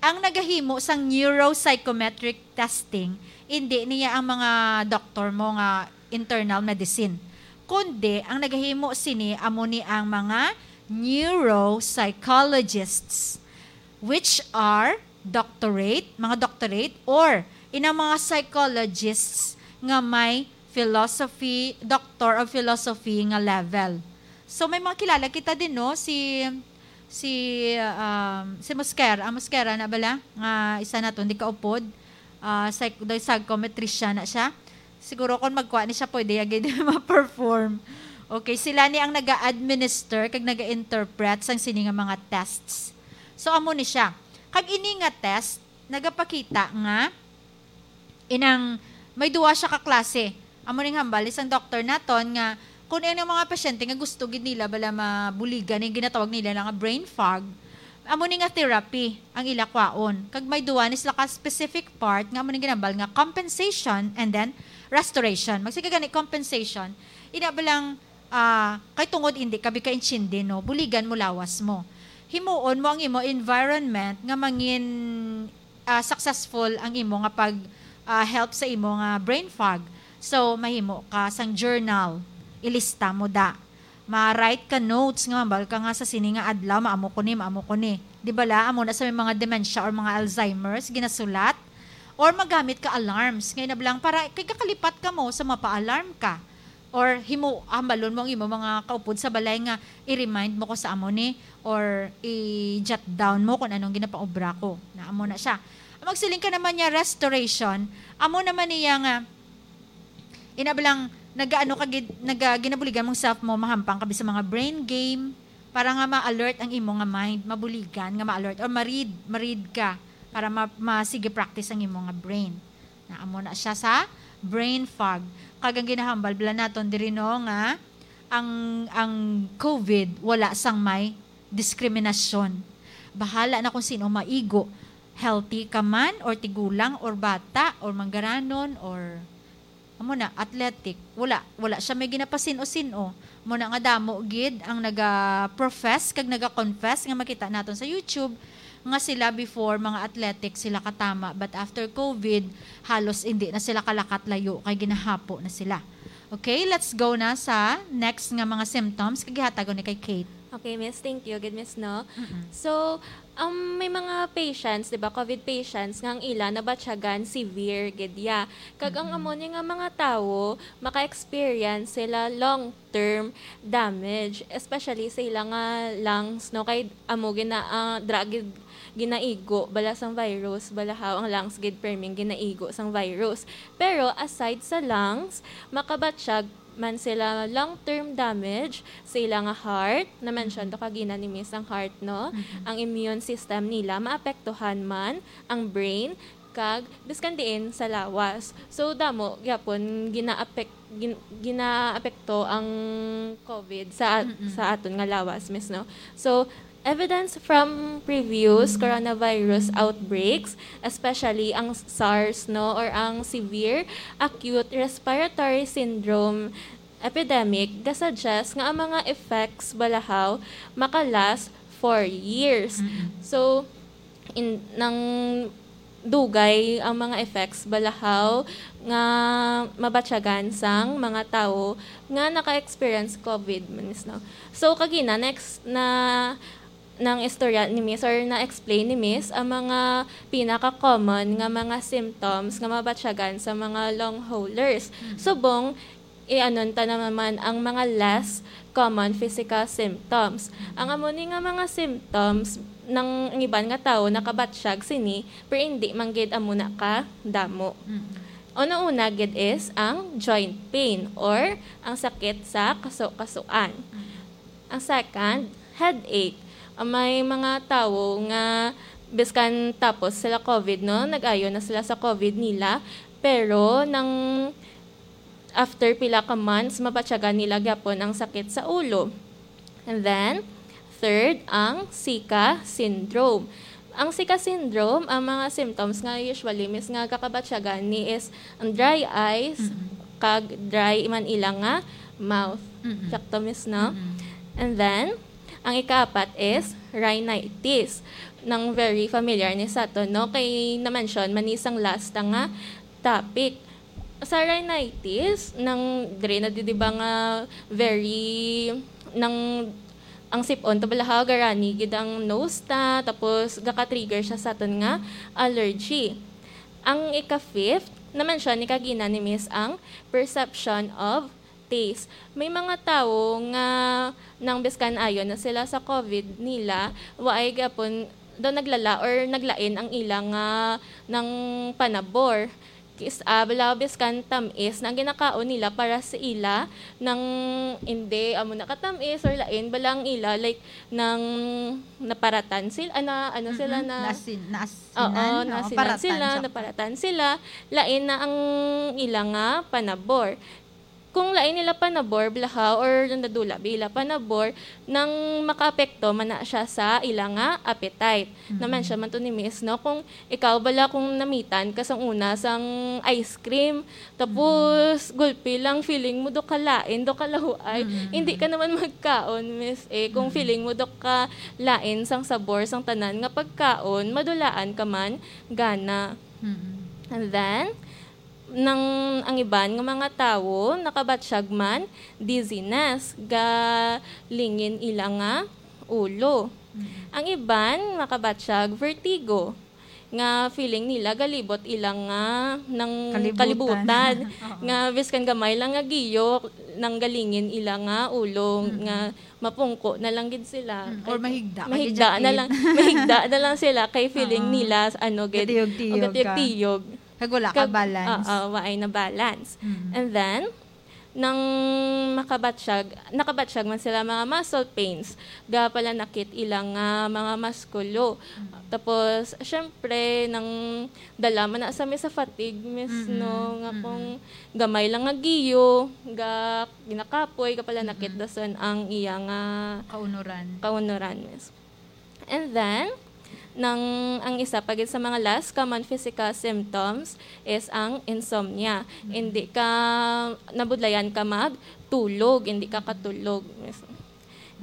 Ang nagahimo sang neuropsychometric testing, indi niya ang mga doktor mo nga internal medicine, kundi ang nagahimo sini amo ni ang mga neuropsychologists, which are doctorate, mga doctorate, or inang mga psychologists nga may philosophy, Doctor of Philosophy nga level. So, may mga kilala kita din, no? Si, si, um, si Mosquera, ah, Mosquera na bala? Nga isa naton, di kaupod. Ah, psych-, daw psychometrician na siya. Siguro kung magkuha ni siya, pwede ya gid ma-perform. Okay, sila ni ang naga-administer kag naga-interpret sang sini nga mga tests. So, amo ni siya. Kag ini nga test, nagapakita nga inang may duwa siya ka klase. Amo ning hambal isang doktor naton nga kung ang mga pasyente nga gusto gid nila bala mabuligan, yung ginatawag nila nga brain fog, amo ni nga therapy ang ila kwaon. Kag may duwa ni sila ka specific part nga amo ning ginambal nga compensation and then restoration. Magsige gani compensation, ina ba lang, ah, kay tungod hindi ka bikaintindi, no, buligan mo lawas mo. Himuon mo ang imo environment nga mangin, ah, successful ang imo nga pag, ah, help sa imo nga brain fog. So, mahimo ka sang journal, ilista mo da. Ma-write ka notes nga mambal ka nga sa sini nga adlaw, maamo ko ni, maamo ko ni. Di ba la, amo na sa may mga dementia or mga Alzheimer's, ginasulat? Or magamit ka alarms, nga inablang para kay kakalipat ka mo sa mapa-alarm ka. Or himo, hambalon mo ang imo mga kaupod sa balay nga i-remind mo ko sa amo ni, or i-jot down mo kung anong ginapaobra ko. Na amo na siya. Ang magsiling ka naman niya, restoration, amo naman niya nga, inablang, nagaano ka gid, naga, ginabuligan mong self mo, mahampang ka sa mga brain game, para nga ma-alert ang imo nga mind, mabuligan nga ma-alert, or ma-read, ma-read ka, para ma-, ma-, sige practice ang imo nga brain. Na amo na siya sa brain fog. Kag ang ginahambal bala naton diri, no, nga ang, ang covid wala sang may diskriminasyon. Bahala na kung sino maigo. Healthy ka man, or tigulang, or bata, or manggaranon, or amo na, athletic. Wala, wala siya may ginapasin-o-sin-o. Amo na nga damo gid ang naga-profess kag naga-confess nga makita naton sa YouTube nga sila before mga athletic sila katama, but after covid, halos hindi na sila kalakat layo kay ginahapo na sila. Okay, let's go na sa next nga mga symptoms kag gihatagon ni kay Kate. Okay, miss, thank you. Good, miss, no? Mm-mm. So, um, may mga patients, di ba, covid patients, nga ang ila nabatyagan severe gid ya. Kag ang Mm-mm. amo ni nga mga tawo, maka-experience sila long-term damage, especially sa ila nga lungs, no? Kay amo gina-, ah, dra gid ginaigo bala sang virus, balahaw ang lungs gid perming ginaigo sang virus. Pero aside sa lungs, makabatyag man sila long-term damage sa ila nga heart. Na-mention to kagina ni Miss ang heart, no? Mhm. Ang immune system nila maapektuhan man, ang brain, kag biskan diin sa lawas. So, damo gyapon ginaapek-, gin-, ginaapekto ang covid sa at-, Mm-mm. sa aton nga lawas, miss, no? So, evidence from previous coronavirus outbreaks, especially ang SARS, no, or ang severe acute respiratory syndrome epidemic, gasuggest nga ang mga effects balahaw makalast for years. Mm-mm. So, in, nang dugay ang mga effects balahaw nga mabatyagan sang mga tawo nga naka-experience COVID, Miss, no? So, kagina, next na nang istorya ni Miss or na-explain ni Miss ang mga pinaka-common nga mga symptoms nga mabatyagan sa mga long haulers. Mhm. Subong, i-anon ta naman ang mga less common physical symptoms. Ang amo ni nga mga symptoms, nang ang iban nga tawo nakabatyag sini, pero hindi man gid amo na ka damo. Mm. Una-una gid is ang joint pain or ang sakit sa kaso-kasuan. Mm. Ang second, headache. Ah, may mga tawo nga biskan tapos sila COVID, no, nag-ayo na sila sa COVID nila, pero nang after pila ka months, mabatyagan nila gyapon ang sakit sa ulo. And then, third, ang Zika syndrome. Ang Zika syndrome, ang mga symptoms nga usually, Miss, nga kakabatyagan ni is ang dry eyes, Mm-mm. kag dry man ila nga mouth. Mm-mm. Sakto, Miss, no? Mm-mm. And then, ang ikaapat is rhinitis. Nang very familiar ni sa aton, no? Kay na-mention man ni sang last nga topic. Sa rhinitis, nang dire na di, di ba nga very, nang ang sip-on ta bala ha, garani gid ang nose ta, tapos gaka-trigger siya sa aton nga allergy. Ang ika-fifth, na-mention ni kagina ni Miss ang perception of taste. May mga tawo nga nang biskan ayo na sila sa COVID nila, waay gyapon daw naglala or naglain ang ila nga nang panabor. Kis-, ah, bala biskan tam-is na ang ginakaon nila para sa ila nang hindi amo na katam-is or lain bala ang ila, like, nang naparatan sila, ana, ano sila Mm-mm. na Nasin-, naasinan, Oo, oo, nasinan paratan sila, sa naparatan sila, lain na ang ila nga panabor. Kung lain nila panabor, blaha, or nadula ba ila panabor, nang makaapekto man na siya sa ila nga appetite. Mm-mm. Naman siya man to ni Miss, no? Kung ikaw bala, kung namitan ka sang una sang ice cream, tapos Mm-mm. gulpi lang feeling mo do ka lain, do ka lahuay, Mm-mm. hindi ka naman magkaon, Miss, eh. Kung Mm-mm. feeling mo do ka lain sang sabor sang tanan nga pagkaon, madulaan ka man gana. Mm-mm. And then, nang ang iban nga mga tawo nakabatsyag man dizziness, galingin ila nga ulo. Mm. Ang iban nakabatsyag vertigo, nga feeling nila galibot ila nga nang Kalibutan. kalibutan, Oo. nga biskan gamay lang nga giyo, nang galingin ila nga ulo, Mm. nga mapungko na lang gid sila. Mm, or Kay mahigda ka gid mahigda dyan, na eh. lang, mahigda na lang sila kay feeling Oo. nila, ano, gid, Gatiyog-tiyog ang ka. gatiyog-tiyog. Kag wala ka Kag, balance. oo, waay na balance. Mm. And then, nang makabatsyag, nakabatsyag man sila mga muscle pains, ga pala nakit ila nga mga maskulo. Mm. Tapos, syempre, nang dala man na sa mi sa fatigue, Miss, Mm-mm. no, nga Mm-mm. kung gamay lang nga giyo, ga, ginakapoy, ga pala Mm-mm. nakit dason ang iya nga Kaunuran. kaunuran, Miss. And then, nang, ang isa pa gid sa mga less common physical symptoms is ang insomnia. Mm. Hindi ka, nabudlayan ka magtulog, hindi ka katulog. And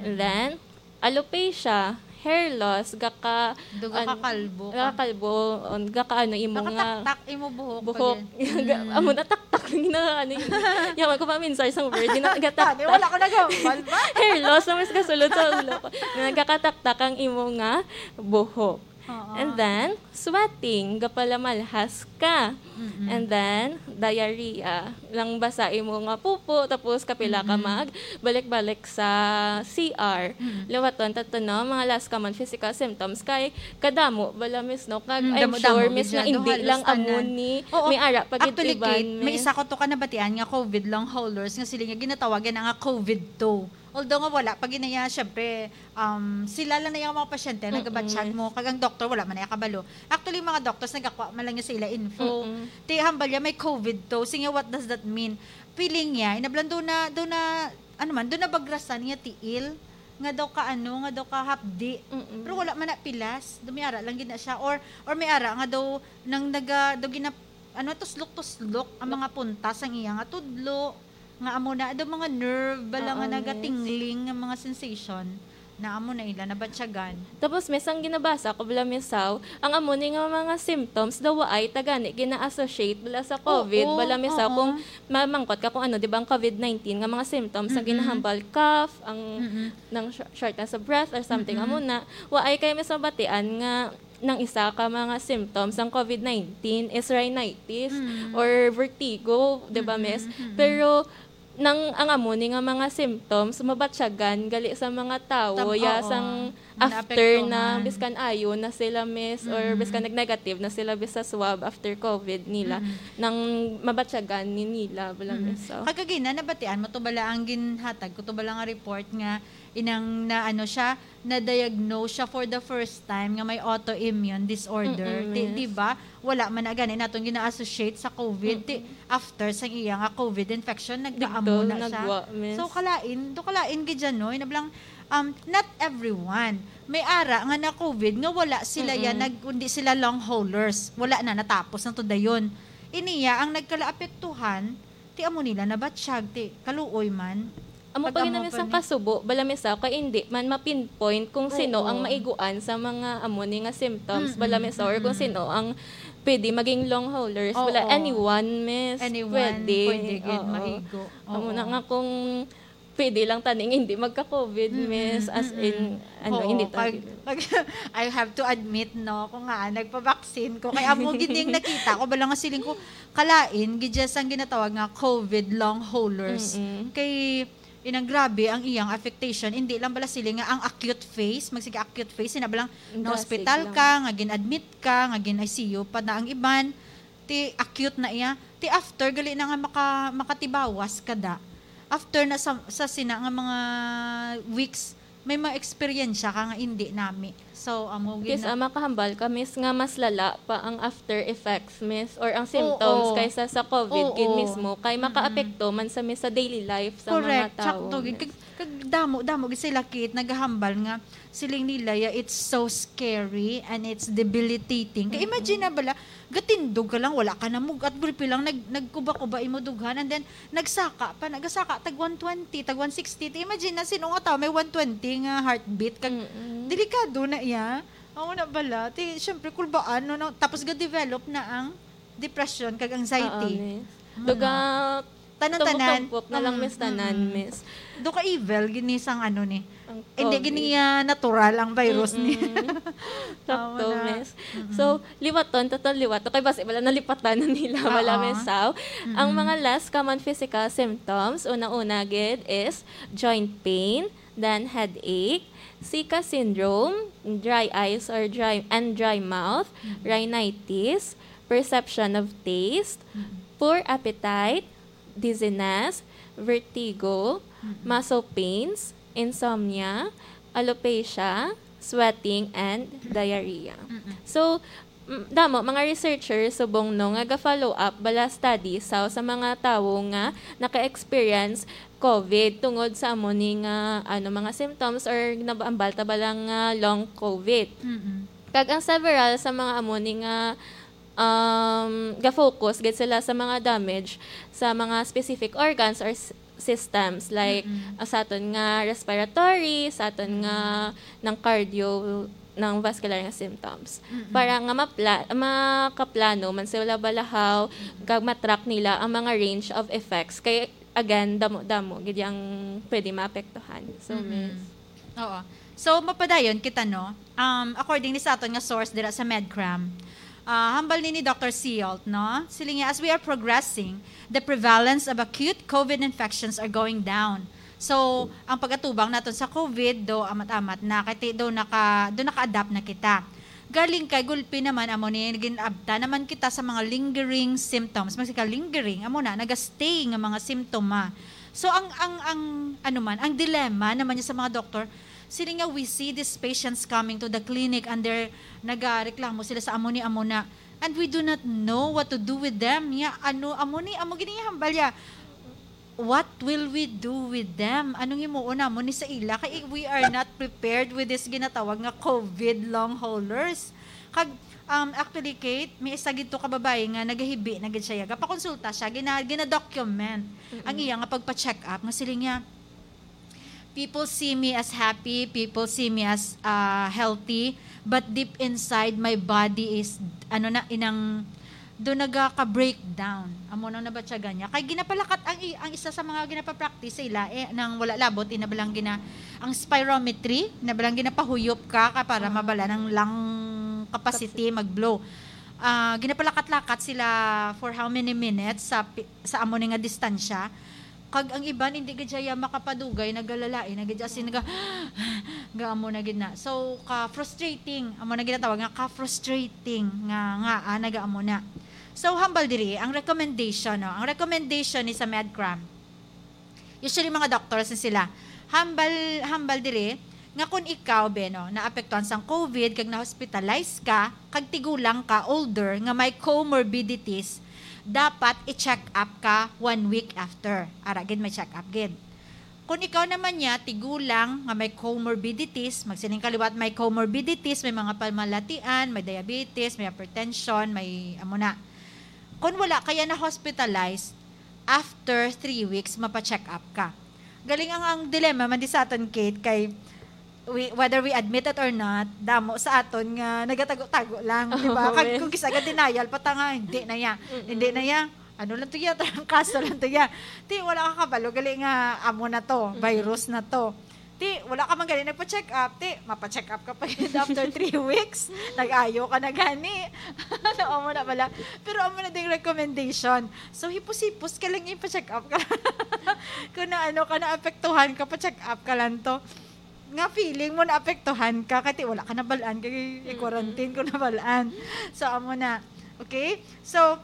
Mm. then, alopecia, hair loss, gaka-, Duga ka an-, kalbo ka. gakakalbo, on, gaka-, ano, imo nga Nakataktak imo buhok buhok. pag yan. Ga-, Mm. amo na taktak lang na, ano, yun. Yaman ko pa, minsay sang word, di na Tani, gataktak. wala ko nagahuman ba? Hair loss na mas kasulod sa ulo ko. Nagkakataktak ang imo nga buhok. Oo. And then, sweating, gapalamalhas ka. Mm-mm. And then, diarrhea. Lang basa imo nga pupo, tapos kapila ka Mm-mm. magbalik-balik sa C R. Mm-mm. Liwaton ta to, no? Mga less common physical symptoms kay kadamo bala, Miss, no? Kag Mm, I'm damo-damo sure, gid Miss, siya. nga hindi Duha lang lang amo tanan. ni Oo. may ara pa gid Actually, iban, Kate, may Miss. isa ko to ka nabatian nga COVID long haulers nga sila nga ginatawag yan nga COVID two. Although nga wala pa ginaya, syempre, um, sila lang na yung mga pasyente, Mm-mm. nagabatsyag mo, kag ang doktor, wala man na kabalo. Actually, mga doctors, nagakwa man lang niya sa ila info. Mm-mm. Ti, hambal niya, may COVID to. Sige, what does that mean? Feeling niya, inablan doon na, doon na, ano man, doon na bagrasan niya tiil. Nga daw ka ano, nga daw ka hapdi. Mm-mm. Pero wala man na pilas. Dumiara lang gid na siya. Or, or may ara nga daw, nang naga, daw gina, ano, tuslok-tuslok ang mga punta sang iya nga tudlo. Nga amo na, daw mga nerve, bala Oo, nga miss. nagatingling nga mga sensation. Na amo na ila nabatyagan. Tapos, Miss, ang ginabasa ko bala, Miss, how, ang amo ni nga mga symptoms daw waay ta gani gina-associate bala sa COVID, Oo, bala, Miss, how, oo. Kung mamangkot ka kung ano, di ba, ang COVID nineteen nga mga symptoms, ang Mm-mm. ginahambal, cough, ang Mm-mm. ng sh- shortness of breath or something, Mm-mm. amo na, waay kay, Miss, mabatian nga nang isa ka mga symptoms ang COVID nineteen is rhinitis Mm. or vertigo, di ba, Miss? Mm-mm, mm-mm. Pero nang ang amo ni nga mga symptoms mabatyagan gali sa mga tawo, Tam- ya, oo. sang Nga after na, naapektuhan. Biskan ayo na sila, Miss, or Mm-mm. biskan nag-negative na sila, Miss, sa swab after COVID nila, Mm-mm. nang mabatyagan ni nila bala, Mm. Miss, so. Kag kagina, nabatian mo to bala ang ginhatag ko to bala nga report nga inang na ano siya, na-diagnose siya for the first time nga may autoimmune disorder. Mm-mm, Di, Miss. di ba? Wala man na gani naton gina-associate sa COVID. Ti, Mm-mm. after sang iya nga COVID infection, Digto, nagkaamo na siya. nagwa, Miss. So, kalain, do kalain gid siya, no? Na bilang, um, not everyone. May ara nga na COVID nga wala sila yan, Mm-mm. nag, kundi sila long haulers. Wala na, natapos na to dayon. Iniya, ang nagkalaapektuhan, ti amo nila nabatsyag, ti kaluoy man. Amo pa gid na, Miss, ang Pagkamoton ni- kasubo, bala, Miss, sa kay hindi man ma-pinpoint kung sino Oo. ang maiguan sa mga amo ni nga symptoms, Mm-mm, bala, Miss, or kung mm-mm. sino ang pwede maging long haulers. Oo. Bala, anyone, Miss, Anyone, pwede. pwede gid Oo. Mahigo. Amo Oo. na nga kung pwede lang taning hindi magka-COVID, Mm-mm, Miss, as mm-mm. in, ano, Oo, hindi ta kag, kag, I have to admit, no, kung nga nagpa-vaccine ko, kay amo gid ning nakita ko, bala nga siling ko, kalain, gid siya sang ginatawag nga COVID long haulers. Mm-mm. Kay, inang grabe ang iyang affectation, hindi lang bala siling nga ang acute phase, magsige acute phase, ina balang Dasig na-hospital lang. ka, nga gin-admit ka, nga gin-I C U pa na ang iban, ti acute na iya. Ti after, gali na nga maka, makatibawas ka da. After na sa, sa sina nga mga weeks, may mga eksperyensya ka nga hindi nami. So, amo gid Yes, na. ah, makahambal ka, Miss, nga mas lala pa ang after effects, Miss, or ang symptoms Oo. Kaysa sa COVID gid Oo. mismo, kay Mm-mm. Makaapekto man sa, Miss, sa daily life sa Correct, mga tao, sakto gid. Miss. Kag, kag damo, damo gid sila, Kate, nagahambal nga siling nila, yeah, it's so scary and it's debilitating. Kay Mm-mm. imagine na bala, gatindog ka lang, wala ka na mugat, gulpi lang, nag, nagkuba-kuba imo dughan, and then, nagsaka pa, nagasaka, tag one twenty, tag one sixty. Ti imagine na, sino nga tao may one twenty nga heartbeat? Kag, Mm-mm. delikado na iya. Amo na bala. Ti, syempre, kulbaan, no, no? Tapos, ga-develop na ang depression kag anxiety. Oo, Miss. Amo Duga, na. Tanan-tanan. Tampok-tampok na lang, Mm, Miss, tanan, mm-mm. Miss. Do ka evil, gini sang ano ni. Ang Hindi, COVID. gini nga natural ang virus ni. Mm-mm. Amo Sakto, na. Miss. Mm-mm. So, liwaton, total liwaton. Kay basi wala nalipatan na nila, wala, Oo. Miss, how? Ang Mm-mm. mga less common physical symptoms, una-una gid is joint pain, then headache, Zika syndrome, dry eyes or dry and dry mouth, Mm-mm. rhinitis, perception of taste, Mm-mm. poor appetite, dizziness, vertigo, Mm-mm. muscle pains, insomnia, alopecia, sweating, and diarrhea. Mm-mm. So, mm, damo mga researchers subong, no, nga ga-follow up bala study sa, sa mga tawo nga naka-experience COVID tungod sa amo ni nga, ano, mga symptoms or nabambal ta bala nga long COVID. Mm-mm. Kag ang several sa mga amo ni nga, um, ga-focus gid sila sa mga damage sa mga specific organs or s- systems, like, Mm-mm. ah, sa aton nga respiratory, sa aton nga Mm-mm. ng cardio, ng vascular nga symptoms. Mm-mm. Para nga mapla- makaplano man sila bala how, Mm-mm. kag matrack nila ang mga range of effects. Kay, again, damo-damo gid yang pwede maapektuhan. So, Mm-mm. Miss. Oo. So, mapadayon kita, no? Um, according ni sa aton nga source dira sa MedCram, ah, hambal ni, ni Doctor Seault, no? Siling niya, as we are progressing, the prevalence of acute COVID infections are going down. So, ang pag-atubang naton sa COVID, do amat-amat na, kay ti-, do naka, do naka-adapt na kita. Galing kay gulpi naman, amo ni, nagin-abta naman kita sa mga lingering symptoms. Magsige ka lingering, amo na, naga-stay nga mga simptoma. So, ang, ang, ang, ano man, ang dilemma naman niya sa mga doktor, sila nga, we see these patients coming to the clinic and they're, nagareklamo sila sa amo ni, amo na. And we do not know what to do with them. Ya, ano, amo ni, amo gini hambal ya. What will we do with them? Anong himuon namon ni sa ila? Kay we are not prepared with this ginatawag nga COVID long haulers. Kag, um, actually, Kate, may isa gid to ka babae nga nagahibi na gid siya. Gapakonsulta siya, gina-, gina-document ang Mm-mm. iya nga pagpa-check up. Nga siling niya, People see me as happy, people see me as, ah, healthy, but deep inside, my body is, ano na, inang, do nagaka-breakdown. Amo nang nabatyagan niya. Kay ginapalakat ang i-, ang isa sa mga ginapapractice sa ila, eh, nang wala labot, inabalang gina-, ang spirometry, inabalang ginapahuyop ka, ka para mabala ng lung capacity, mag-blow. Ah, ginapalakat-lakat sila for how many minutes sa pi-, sa amo ni nga distansya. Kag ang iban, hindi gid siya makapadugay, nagalalain na gid siya, as in, naga-, ga-amo na gid na. So, ka-frustrating, amo na ginatawag nga ka-frustrating nga, nga, ah, naga-amo na. So, hambal diri, ang recommendation, no? Ang recommendation ni sa MedCram, usually, mga doctors na sila, hambal, hambal diri, nga kung ikaw, be, no, naapektuhan sang COVID, kag na-hospitalize ka, kag tigulang ka, older, nga may comorbidities, dapat i-check up ka one week after. Ara gid, may check up gid. Kung ikaw naman niya, tigulang nga may comorbidities, magsiling ka liwat may comorbidities, may mga pamalatian, may diabetes, may hypertension, may amo na. Kung wala kaya na-hospitalize, after three weeks, mapa-check up ka. Galing ang, ang dilemma man di sa aton, Kate, kay we, whether we admit it or not, damo sa aton nga nagatago-tago lang, di ba? Oo, Kag, yes. Kung kisa ga denial, pa ta nga, hindi na ya. Mm-mm. Hindi na ya. Ano lang to ya? Trangkaso lang to ya. Ti, wala ka kabalo. Gali nga, amo na to. Mm-mm. Virus na to. Ti, wala ka man gani nagpa-check up. Ti, mapa-check up ka pa gid after three weeks. Nag-ayo ka na gani. Ano, amo na pala. Pero amo na ding recommendation. So, hipos-hipos ka lang, ipa-check up ka. Kung na ano ka, naapektuhan ka, pa-check up ka lang to. Nga feeling mo naapektuhan ka, kay ti wala ka nabalaan, kay Mm-mm. i-quarantine ko nabalaan. So, amo na. Okay? So,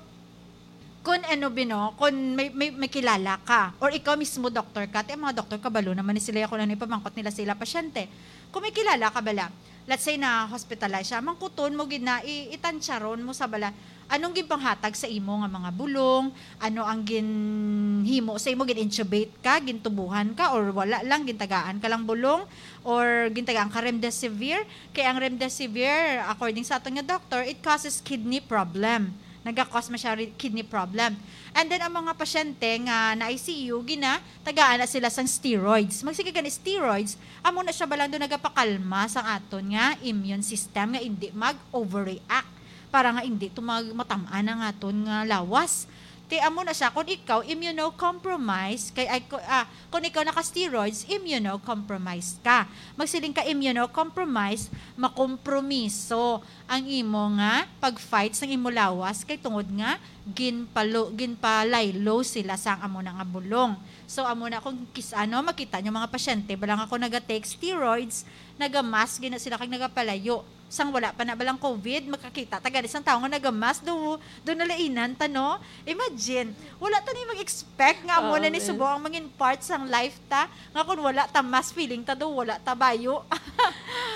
kung ano, bino, kung may, may, may kilala ka, or ikaw mismo doktor ka, ti ang mga doktor, kabalo naman ni sila kung ano ipamangkot nila sa ila pasyente. Kung may kilala ka bala, let's say na hospitalize siya, mangkuton mo gid na, i-, itantyaron mo sa bala, anong ginpanghatag sa imo nga mga bulong, ano ang ginhimo sa imo, gin-intubate ka, gintubuhan ka, or wala lang, gintagaan ka lang bulong, or gintagaan ka remdesivir. Kay ang remdesivir, according sa aton nga doktor, it causes kidney problem. Naga-cause man siya ri-, kidney problem. And then, ang mga pasyente nga na-I C U, gina, tagaan na sila sang steroids. Magsige gani steroids, amo na siya balang do nagapakalma sang aton nga immune system nga hindi mag-overreact, para nga hindi to mag-, matam-an ang aton nga lawas. Ti amo na siya, kung ikaw immunocompromised, kay, ay, ku-, ah, kung ikaw naka-steroids, immunocompromised ka. Magsiling ka immunocompromised, makompromiso ang imo nga pag-fight sang imo lawas, kay tungod nga ginpalo-, ginpalaylo sila sang amo na nga bulong. So, amo na kung kis-, ano, makita nyo mga pasyente, bala nga kung naga-take steroids, naga-mask gina sila kag nagapalayo. Sang wala pa na balang COVID, makakita ta gani sang tawo nga naga-mask, do, do nalainan ta, no? Imagine, wala ta ni mag-expect nga amo Oo, na ni miss. Subo ang mangin part sang life ta, nga kung wala ta mask, feeling ta do wala ta bayo.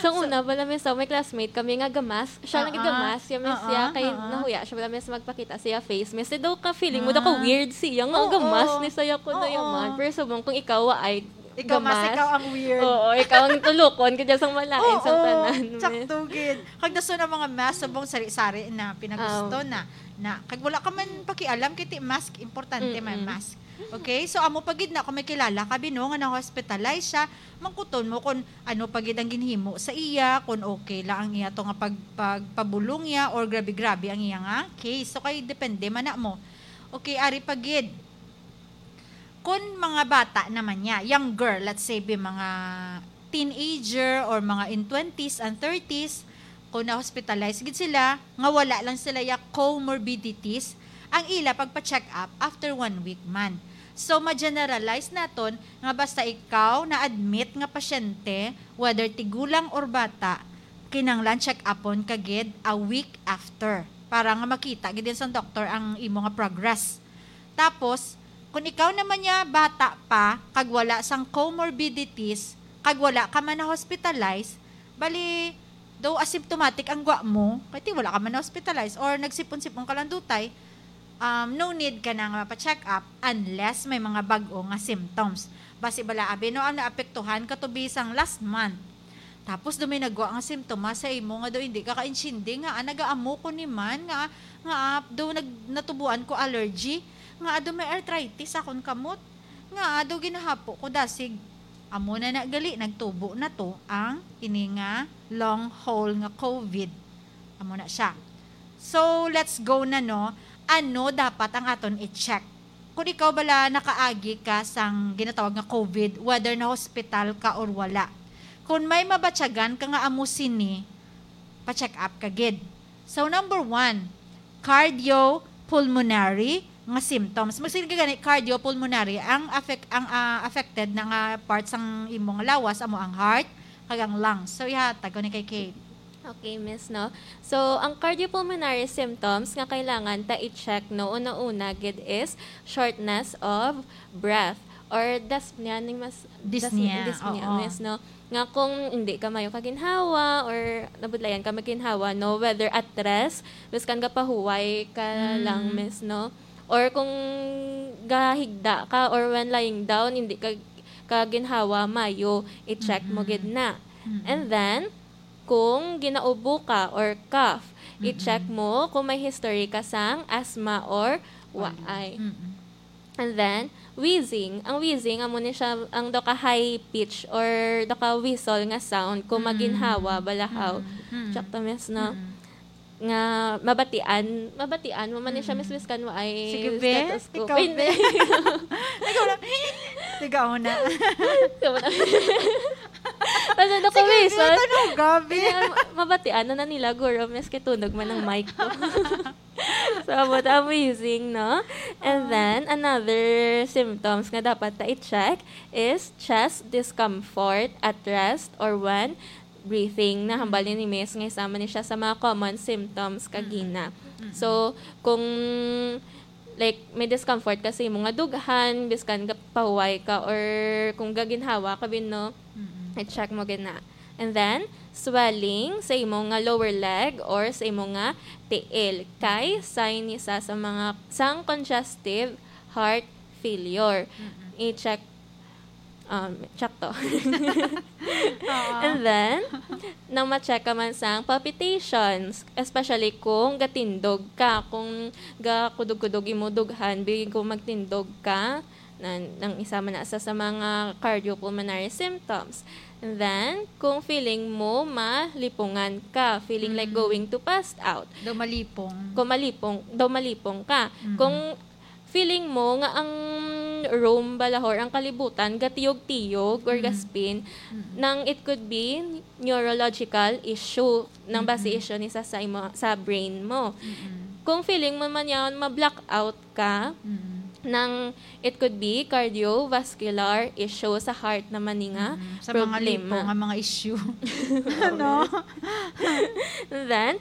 Sa So una, bala, miss, so, may classmate kami nga ga-mask. Siya Oo. Nagga-mask, siya, miss, Oo, siya, kay oo. Nahuya siya, bala, miss, magpakita siya face. Miss, daw ka feeling mo, daw ka Ah. weird siya, nga Oo. Ga-mask ni saya ko na Oo. Yaman. Pero subong, kung ikaw ay Ikaw, mas ga-mask. Ikaw ang weird. Oo, ikaw ang tulukon, kaya sang malain sang Oo, tanan, miss. Sakto gid. Kag dason ang mga mask, subong sari-sari na pinagusto Aw. na. Na, kag wala ka man pakialam, kay ti mask, importante may Mm-mm. mask. Okay? So, amo pa gid na, kung may kilala ka, bino, nga na-hospitalize siya, mangkuton mo kung ano pa gid ang ginhimo sa iya, kung okay lang ang iya to nga pag-, pagpabulong niya or grabe-grabe ang iya nga case. So, kay depende man na mo. Okay, ari pa gid. Kung mga bata naman niya, younger, let's say, bi-, mga teenager or mga in twenties and thirties, kung na-hospitalize gid sila, nga wala lang sila ya comorbidities, ang ila pagpa-check up after one week man. So, ma-generalize naton nga basta ikaw na-admit nga pasyente, whether tigulang or bata, kinahanglan check upon ka gid a week after para nga makita gid sang doktor ang imo nga progress. Tapos, kung ikaw naman niya bata pa, kag wala sang comorbidities, kag wala ka man na-hospitalize, bali, daw asymptomatic ang gwa mo, kay ti wala ka man na-hospitalize, or nagsipon-sipon ka lang dutay, um, no need ka na nga mapa-check up unless may mga bag-o nga symptoms. Basi bala, abi, no, ang naapektuhan ka to bisang last month. Tapos do may nagwa nga simptomas sa imo nga do hindi ka kaintindi nga, ah, nagaamo ko ni man nga, nga, ah, do nag-, natubuan ko allergy, nga, ah, do may arthritis akon kamot, nga, ah, do ginahapo ko dasig Amo na na gali, nagtubo na to ang kini nga long haul nga COVID. Amo na siya. So, let's go na, no? Ano dapat ang aton i-check? Kung ikaw bala nakaagi ka sang ginatawag nga COVID, whether na hospital ka or wala. Kung may mabatyagan ka nga amo sini, pa-check up ka gid. So, number one, cardiopulmonary nga symptoms. Magsigig gani cardiopulmonary ang affect-, ang, ah, affected na nga part sang imo nga lawas, amo ang heart kag ang lungs. So, ihatag ko ni kay Kate. Okay, miss, no? So, ang cardiopulmonary symptoms nga kailangan ta i-check, no, una-una gid is shortness of breath or dyspnea ning mas Dyspnea, dyspnea, oo. Miss, no? Nga kung hindi ka mayo kaginhawa or nabudlayan ka magginhawa, no, whether at rest, miskan gapahuway ka Mm. lang, miss, no? Or kung gahigda ka or when lying down, hindi ka kaginhawa mayo, i-check mo Mm-mm. gid na. Mm-mm. And then, kung ginaubo ka or cough, i-check Mm-mm. mo kung may history ka sang asthma or waay. Mm-mm. And then, wheezing. Ang wheezing, amo ni siya ang daw ka high pitch or daw ka whistle nga sound kung Mm. maginhawa, balahaw. Mm. Mm. Check to, miss, no? Mm. Nga mabatian, mabatian mo man ni siya, Mm. miss, miskan waay Sige, be. Stethoscope. Ikaw, Hindi. be. Ikaw lang. Tigaw na. Ikaw na. Basta daw ka Sige, be, whistle. Tanong, gabi. Kaya ma-, mabatian na, na nila, guro, miss, kay tunog man ang mic ko. So, about amazing, no? And Ah. then, another symptoms nga dapat ta i-check is chest discomfort at rest or when breathing. Nahambal Mm. ni Miss nga isa man ni siya sa mga common symptoms Mm. kagina. Mm. So, kung, like, may discomfort ka sa imo nga dughan, biskan gapahuway ka, or kung gaginhawa ka, bin, no? Mm. I-check mo gid na. And then, swelling sa imo nga lower leg or sa imo nga tiil. Kay sign ni sa, sa mga, sang congestive heart failure. Mm-mm. I-check, um, check to. Oo. And then, nang ma-check ka man sang palpitations, especially kung gatindog ka, kung gakudog-kudog imo dughan, bigyan kung magtindog ka, na, nang isa man na sa, sa mga cardiopulmonary symptoms. And then, kung feeling mo malipungan ka, feeling like Mm. going to passed out. Daw malipong. Kung malipong, daw malipong ka. Mm. Kung feeling mo nga ang room, balahor, ang kalibutan, gatiyog-tiyog or Mm. gaspin, Mm. nang it could be neurological issue, nang basi Mm-mm. issue ni sa, sa imo, sa brain mo. Mm-mm. Kung feeling mo man yan, ma-blackout ka, Mm. nang it could be cardiovascular issue, sa heart naman ni nga Mm. Sa mga problema. Lipo nga mga issue. No? Then,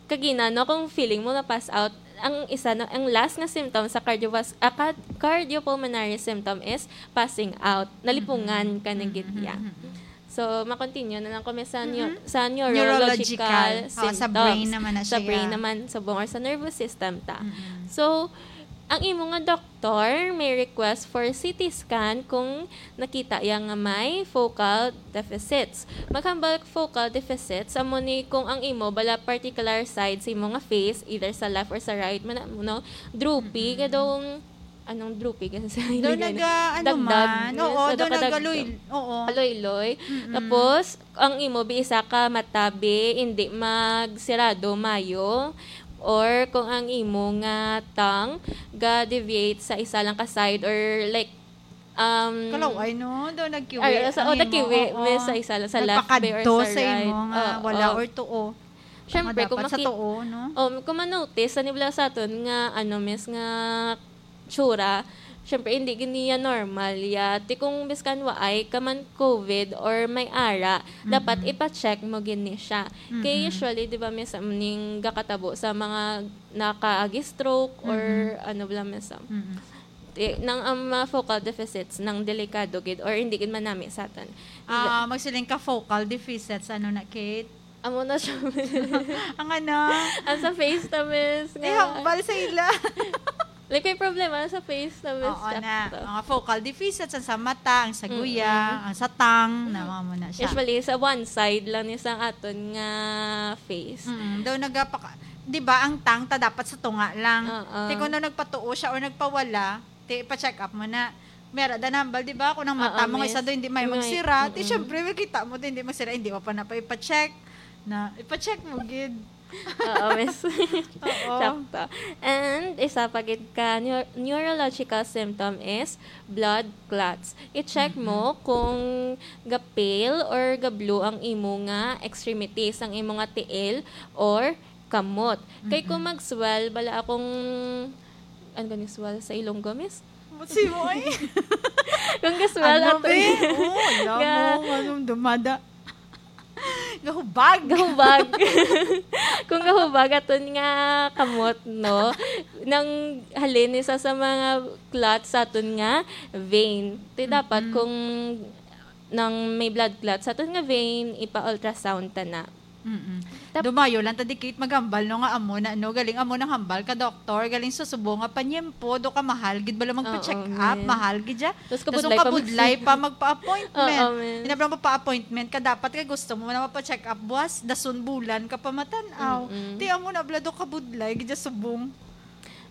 kagina, no, kung feeling mo na-pass out, ang isa na, ang last nga symptom sa cardiovas-, ah, card-, cardiopulmonary symptom is passing out. Nalipungan Mm-mm. ka na gid Mm-mm. niya. Mm-mm. So, ma-continue na lang kami sa neu-, Mm-mm. sa neurological Neurological. Ah, sa symptoms. Brain naman na Sa siya. Brain naman, subong, or sa nervous system ta. Mm-mm. So, ang imo nga doktor may request for C T scan kung nakita iya nga may focal deficits. Maghambal focal deficits, amo ni kung ang imo bala particular side sa imo nga face, either sa left or sa right, man, no, droopy, Mm-mm. kadong, anong droopy? Kasi Daw hindi na- naga-, ano dagdag, man. Oo, yes, daw nagkadagdag. Nagaloy-, oo. Aloy-loy. Mm-mm. Tapos, ang imo bi isa ka mata bi, hindi magsirado mayo. Or kung ang imo nga tongue ga-deviate sa isa lang ka side or like, um, Kalaway, no? Daw nagkiwi ay, sa, ang oh, imo, nagkiwi, oo. Miss, sa isa lang, sa left bi or Nagpakadto sa sa right. Imo nga Oo, wala oo. Or tuo. Syempre, Nga kung dapat sa maki-, tuo, no? Oh, kung ma-notice, sa nibla sa aton nga, ano, miss, nga tsura, syempre, hindi gid niya normal ya. Ti kung biskan waay ka man COVID or may ara, dapat Mm-mm. ipa-check mo gid ni siya. Kay Mm-mm. usually, di ba, miss, ning gakatabo sa mga nakaagi stroke or Mm-mm. ano bala, miss, ah. Mm-mm. Ti, nang ang mga focal deficits, nang delikado gid or hindi gid manami sa aton. Ah, magsiling ka focal deficits, ano na, Kate? Amo na siya, miss. Ang ano? Ang sa face ta, miss, nga. Eh, hambal sa ila. Like, may problema sa face ta, miss. Oo na. Sakto. Mga focal deficits, ang sa mata, ang sa guya, Mm-mm. ang sa tongue, na mga mo na siya. Usually, sa one side lang ni sa aton nga face. Mm, daw nagapaka-, di ba, ang tongue ta dapat sa tunga lang. Oo. Ti kung daw nagpatuo siya or nagpawala, ti pa-check up mo na. Mera da nambal, di ba? Kung ang mata Oo, mo nga isa miss. Do, hindi may May magsira. Ti, mm-mm. Syempre, may kita mo do, hindi magsira. Hindi mo pa na pa ipa-check. Na, ipa-check mo, gid. Oo, miss. Oo. Sakto. And isa pa gid ka neu-, neurological symptom is blood clots. I-check mo Mm-mm. kung ga-pale or ga-blue ang imo nga extremities, ang imo nga tiil or kamot. Kay kung Mm-mm. mag-swell, bala akong, ano gani swell sa Ilonggo, miss? Si mo, eh. Kung ga-swell Ano, ato be? Oh, alam ga- mo, anong dumada? Gahubag. Gahubag. Kung gahubag aton nga kamot, no, nang halin isa sa mga clot sa aton nga vein. Ti dapat Mm-mm. kung nang may blood clot sa aton nga vein, ipa-ultrasound ta na. Mm-mm. Tap- Dumayo lang ta di, Kate, maghambal, no, nga amo na, no, galing amo nang hambal ka, doktor, galing sa subong nga panyempo, do ka mahal gid bala magpa-check Oo, up, man. Mahal gid siya. Tas Tas ang kabudlay pa kabudlay mag- pa magpa-appointment. Oo, man. Ina, bala magpa-appointment ka, dapat kay gusto mo na mapa-check up buwas, dason bulan ka pa matan-aw. Mm-mm. Ti amo na bala do kabudlay gid sa subong.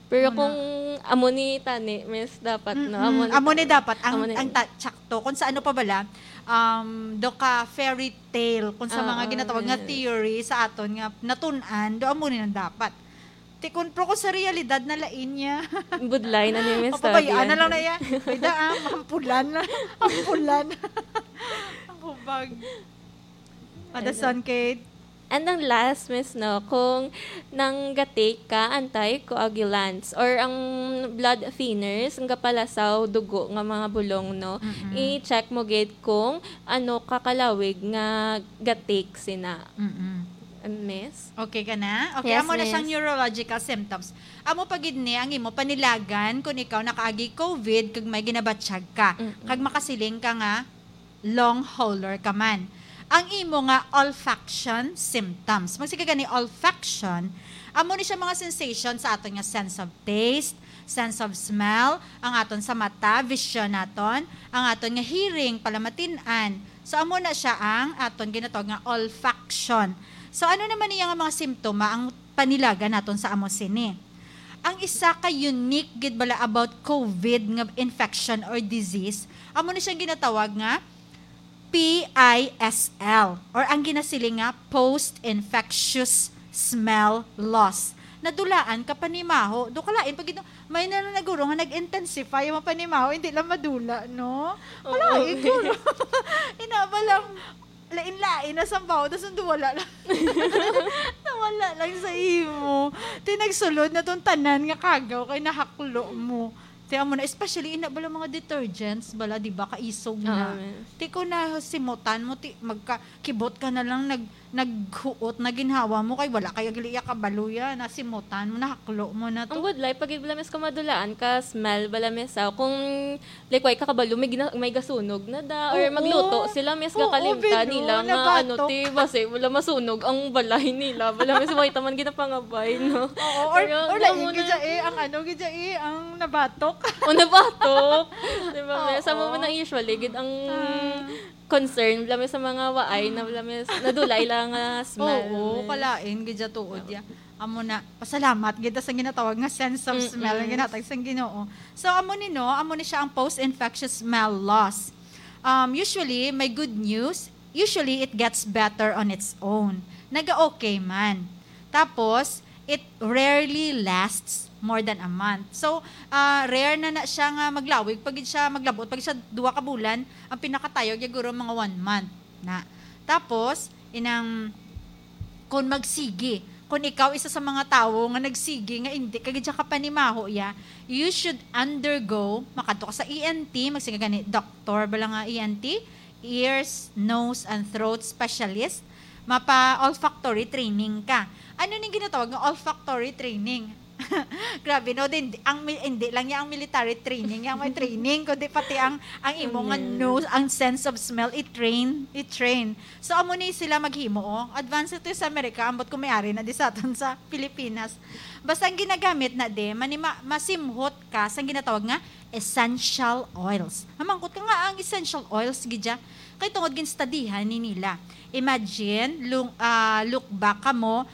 Pero Amo na. Kung amo ni tani, miss, dapat, no? Mm-mm. Amo ni Amo ni tani. Dapat ang, Amo ni ang ta-, tsakto. Kung sa ano pa bala, um, do ka fairy tale, kung sa Oo, mga ginatawag nga man. Theory sa aton nga natun-an, do amo ni nang dapat. Ti kun, pero kung sa realidad na lain niya. Budlay na ni miss Papabayaan Tabian. Na lang na iya. Ay, da, ah, hampulan. Hampulan. Ang hubag. Ada Ano? Son, Kate? And ang last, miss, no, kung nang ga-take ka anticoagulants or ang blood thinners, ang gapalasaw dugo nga mga bulong, no, Mm-mm. i-check mo gid kung ano ka kalawig nga ga-take sina. Mm-mm. Miss? Okay ka na? Okay, Yes, amo na siyang miss. Neurological symptoms. Amo pa gid ni ang imo panilagan kung ikaw nakaagi COVID kag may ginabatyag ka. Mm-mm. Kag makasiling ka nga, long hauler ka man. Ang imo nga olfaction symptoms. Magsige gani olfaction, amo ni siya mga sensation sa aton nga sense of taste, sense of smell, ang aton sa mata, vision naton, ang aton nga hearing, palamatin-an. So, amo na siya ang aton ginatawag nga olfaction. So, ano naman niya nga mga simptoma ang panilagan naton sa amo sini? Ang isa ka unique gid bala about COVID nga infection or disease, amo ni siyang ginatawag nga P I S L, or ang ginasiling nga post-infectious smell loss. Nadulaan ka panimaho. Do kalain pa gid, may na lang naguro nga nag-intensify ang mga panimaho, hindi lang madula, no? Oo. Kalain, guro. Inaba lang, lain-lain na sambaw, tas nandun wala lang. Nawala lang sa imo. Ti nagsulod na tong tanan nga kagaw kay nahaklo mo. Ti amo na, especially ina bala mga detergents, bala, di ba, kaisog na. Oo, man. Ti kung nasimutan mo, ti magka-, kibot ka na lang, nag-, naghuot na ginhawa mo, kay wala kay gali iya kabalo ya, nasimutan mo, nahaklo mo na to. Ang budlay, pag bala, miss, kung madulaan ka, smell bala, miss, ah, kung, like, way ka kabalo, may gina-, may gasunog na da, or Oo. Magluto sila, miss, Oo, gakalimtan bino, nila nga, ano, nabatok. Ti, basi, wala masunog ang balay nila, bala, miss, way taman ginapangabay, no? Oo, or, Pero or ang lain, amo na gidya, eh, ang ano, gidya, eh, ang nabatok. O, nabatok. Di ba, miss? Sa Oo. Amo na usually, gid ang Ah. concern, bala, miss, sa mga waay na, bala, miss, nadulay lang nga smell, Oo, miss. Kalain, gidya tuod ya. Amo na, pasalamat gid sa ginatawag nga sense of smell nga Mm-mm. ginatag sang Ginoo. So, amo ni, no, amo ni siya ang post-infectious smell loss. Um, usually, may good news. Usually, it gets better on its own. Naga-okay man. Tapos, it rarely lasts more than a month. So, ah, rare na na siya nga maglawig pa gid siya, maglabot pa gid siya duha ka bulan. Ang pinakatayo, guro, mga one month na. Tapos, inang, kung magsigi, kung ikaw isa sa mga tawo nga nagsigi nga hindi ka gid siya kapanimaho ya, you should undergo, makadto ka sa E N T, magsige gani, doktor bala nga E N T, ears, nose, and throat specialist, mapa-olfactory training ka. Ano ning ginatawag nga olfactory training? Grabe, no? Din, ang mi-, hindi lang niya ang military training, yang may training, kundi pati ang, ang imo nga Amen. Nose, ang sense of smell, i-train, i-train. So, amo ni sila maghimo, oh. Advance ito sa Amerika, ambot kung may ari na di sa aton sa Pilipinas. Basta ang ginagamit na di, mani ma-, masimhot ka sa ginatawag nga essential oils. Mamangkot ka nga ang essential oils, gidya. Kay tungod ginstadihan ni nila. Imagine, lung-, ah, look back ka mo,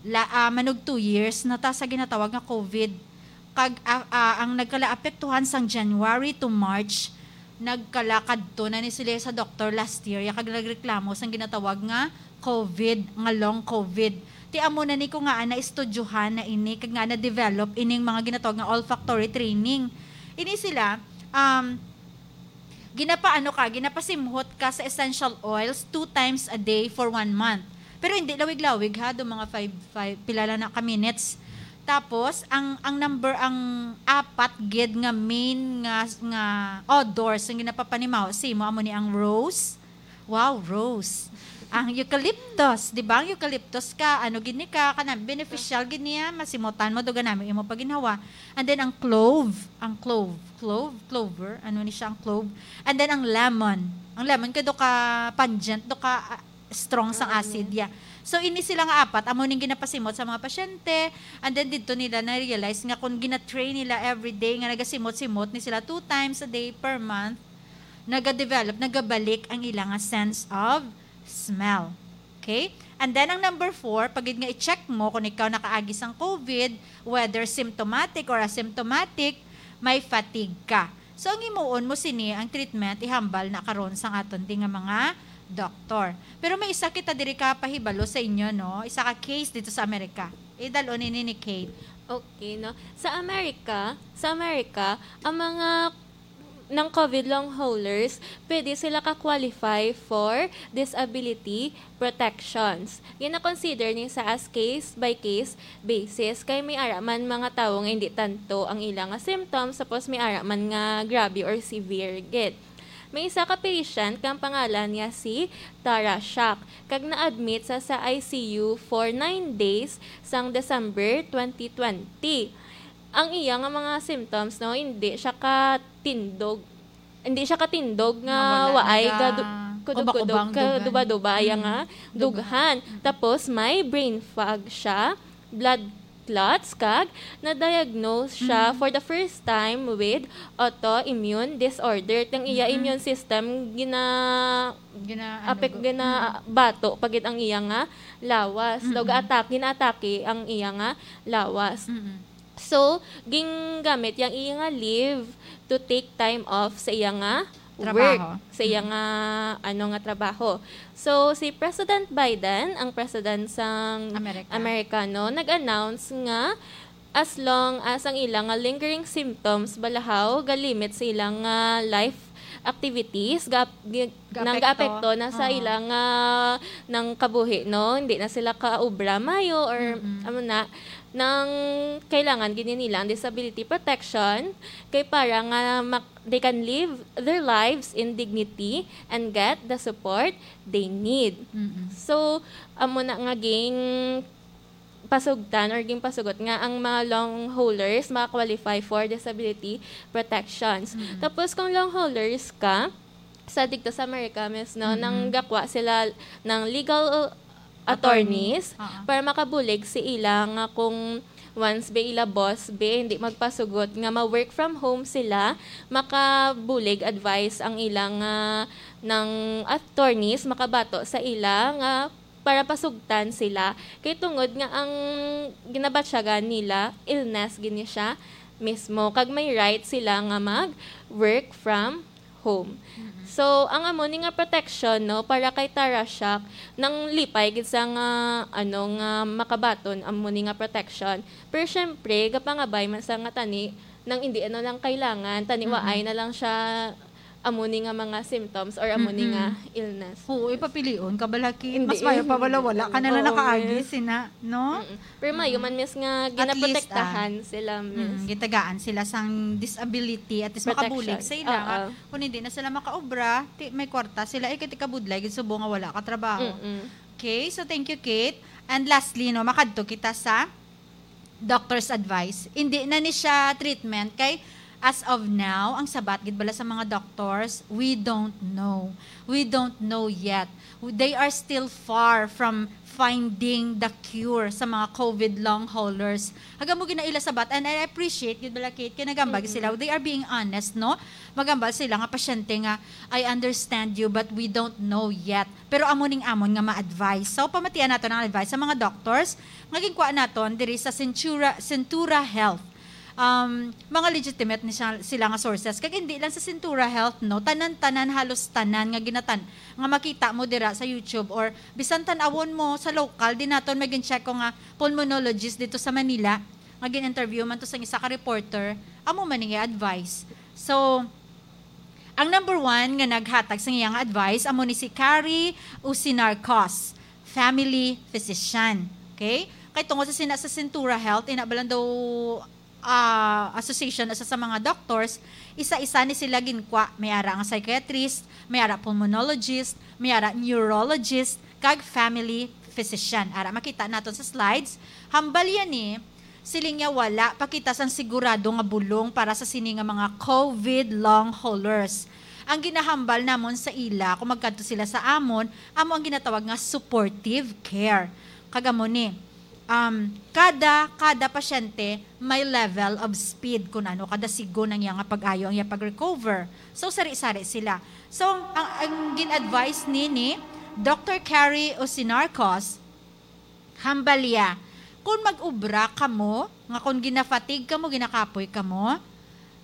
la, ah, manog two years na ta sa ginatawag nga COVID. Kag, ah, ah, ang nagkalaapektuhan sang January to March, nagkalakadto na ni sila sa doktor last year, ya kag nagreklamo sang ginatawag nga COVID, nga long COVID. Ti amo na ni ko nga, ah, naistudyohan na ini, kag nga na-develop ining mga ginatawag nga olfactory training. Ini sila, um, ginapaano ka, ginapasimhot ka sa essential oils two times a day for one month. Pero hindi lawig-lawig ha, do mga five, five, pila lang na ka minutes. Tapos, ang, ang number, ang apat gid nga main nga, nga odors ang ginapapanimaw sa imo, amo ni ang rose. Wow, rose. Ang eucalyptus, di ba? Ang eucalyptus ka, ano gid ni ka, kana beneficial gid niya, masimutan mo, duga nami imo paginhawa. And then ang clove, ang clove, clove, clover, ano ni siya ang clove? And then ang lemon. Ang lemon kay do ka pungent, do ka, ah, strong sang acid, yeah. So, ini sila nga apat, amo ning ginapasimot sa mga pasyente. And then, didto nila na-realize nga kung gina-train nila every day nga nagasimot-simot ni sila two times a day per month, nagadevelop, nagabalik ang ila nga sense of smell. Okay? And then, ang number four, pag gid nga i-check mo kung ikaw nakaagi sang COVID, whether symptomatic or asymptomatic, may fatigue ka. So, ang himuon mo sini, ang treatment, ihambal na karon sang aton di nga mga doktor. Pero may isa kita diri ka pahibalo sa inyo, no? Isa ka case dito sa Amerika. Idal-on ini ni Kate. Okay, no? Sa Amerika, sa Amerika, ang mga ng COVID long haulers, pwede sila ka-qualify for disability protections. Gina-consider ni sa as case by case basis, kay may ara man mga tawo nga hindi tanto ang ila nga symptoms, tapos may ara man nga grabe or severe gid. May isa ka patient nga ang pangalan niya si Tara Shack, kag na-admit sa, sa I C U for nine days sang December twenty twenty. Ang iya nga mga symptoms, no, hindi siya katindog, hindi siya katindog nga Nawala, waay naga-, ga du-, kudog-kudog, ubang-ubang, dugan. kaduba-duba, iya Mm. nga dughan. Mm. Tapos may brain fog siya, blood clots, kag na-diagnose siya Mm. for the first time with autoimmune disorder. Ang iya Mm. immune system gina-, Gina-, ano, apek-, go-, gina-, mm. bato pa gid ang iya nga lawas. Daw Mm. ga-attack, gina-atake ang iya nga lawas. Mm. So, gingamit yang iya nga leave to take time off sa iya nga Trabaho. work, sa iya Mm. nga, ano, nga trabaho. So, si President Biden, ang president sang Amerika. Amerikano, nag-announce nga as long as ang ila nga lingering symptoms balahaw galimit sa ila nga life activities, ga-, gi-, Gaapekto. nang gaapekto na sa Ah. ila nga nang kabuhi, no? Hindi na sila kaobra mayo or Mm-mm. amo na, nang kailangan gid nila ang disability protection kay para nga mak-, they can live their lives in dignity and get the support they need. Mm-mm. So, amo na nga ging pasugtan or ginpasugot nga ang mga long haulers maka-qualify for disability protections. Mm. Tapos, kung long haulers ka, sa dito sa America, miss, no, Mm-mm. nang gakwa sila ng legal attorneys Attorney. Oo. para makabulig si ila nga kung once ba ila boss ba hindi magpasugot nga ma-work from home sila, makabulig advice ang ila nga ng attorneys makabato sa ila nga para pasugtan sila. Kay tungod nga ang ginabatyagan nila, illness gini siya mismo. Kag may right sila nga mag work from home. Mm-mm. So, ang amo ni nga protection, no, para kay Tara Shack, nang lipay gid sa nga, ano, nga makabaton amo ni nga protection. Pero syempre, gapangabay man sa nga tani, nang hindi ano lang kailangan, tani Mm-mm. waay na lang siya amo ni nga mga symptoms or amo ni nga Mm-mm. illness. Oo, ipapilion ka, balaki. Hindi, Mas mayo pa wala, hindi wala ka na lang Oo, nakaagi, miss. sina, no? Mm-mm. Pero mayo Mm. man, miss, nga At least, ginaprotektahan ah, sila, miss. mm, gitagaan sila sang disability, at least Protection. makabulig sa ila nga Oo. kung hindi na sila makaobra, ti-, may kwarta sila, eh, kay ti kabudlay gid subo nga wala ka trabaho. Mm-mm. Okay, so thank you, Kate. And lastly, no, makadto kita sa doctor's advice. Hindi na ni siya treatment kay as of now, ang sabat gid bala sa mga doctors, we don't know. We don't know yet. They are still far from finding the cure sa mga COVID long haulers. Haga mo ginaila sabat, and I appreciate gid bala, Kate, kay nagambag Mm-mm. sila. They are being honest, no? Magambal sila nga pasyente nga, "I understand you, but we don't know yet." Pero amo ning amon nga ma-advise. So, pamatian nato ang advice sa mga doctors nga ginkuha naton diri sa Centura, Centura Health. um, mga legitimate ni siya, sila nga sources. Kag hindi lang sa Sintura Health, no, tanan-tanan, halos tanan nga ginatan nga makita mo dira sa YouTube, or bisan tan-awon mo sa local, di naton may gin-check ko nga pulmonologist dito sa Manila, nga gin-interview man to sa isa ka reporter, amo man ni advice. So, ang number one nga naghatag sa iyang advice amo ni si Kari Usinarcos, family physician. Okay? Kay tungod sa sina sa Sintura Health, ina ba lang daw, ah, association, isa sa mga doctors, isa-isa ni sila ginkwa. May ara nga psychiatrist, may ara pulmonologist, may ara neurologist, kag family physician. Ara, makita naton sa slides. Hambal yan ni, siling niya, wala pa kita sang sigurado nga bulong para sa sini nga mga COVID long haulers. Ang ginahambal namon sa ila kung magkadto sila sa amon, amo ang ginatawag nga supportive care. Kag amo ni, um, kada, kada pasyente may level of speed kung ano kada sigon ang iya nga pag-ayo, ang iya pag-recover. So, sari-sari sila. So, ang, ang gin-advise ni, ni Doctor Carrie Osinarcos, hambal iya, kung mag-ubra kamo, nga kung ginafatig kamo, ginakapoy kamo,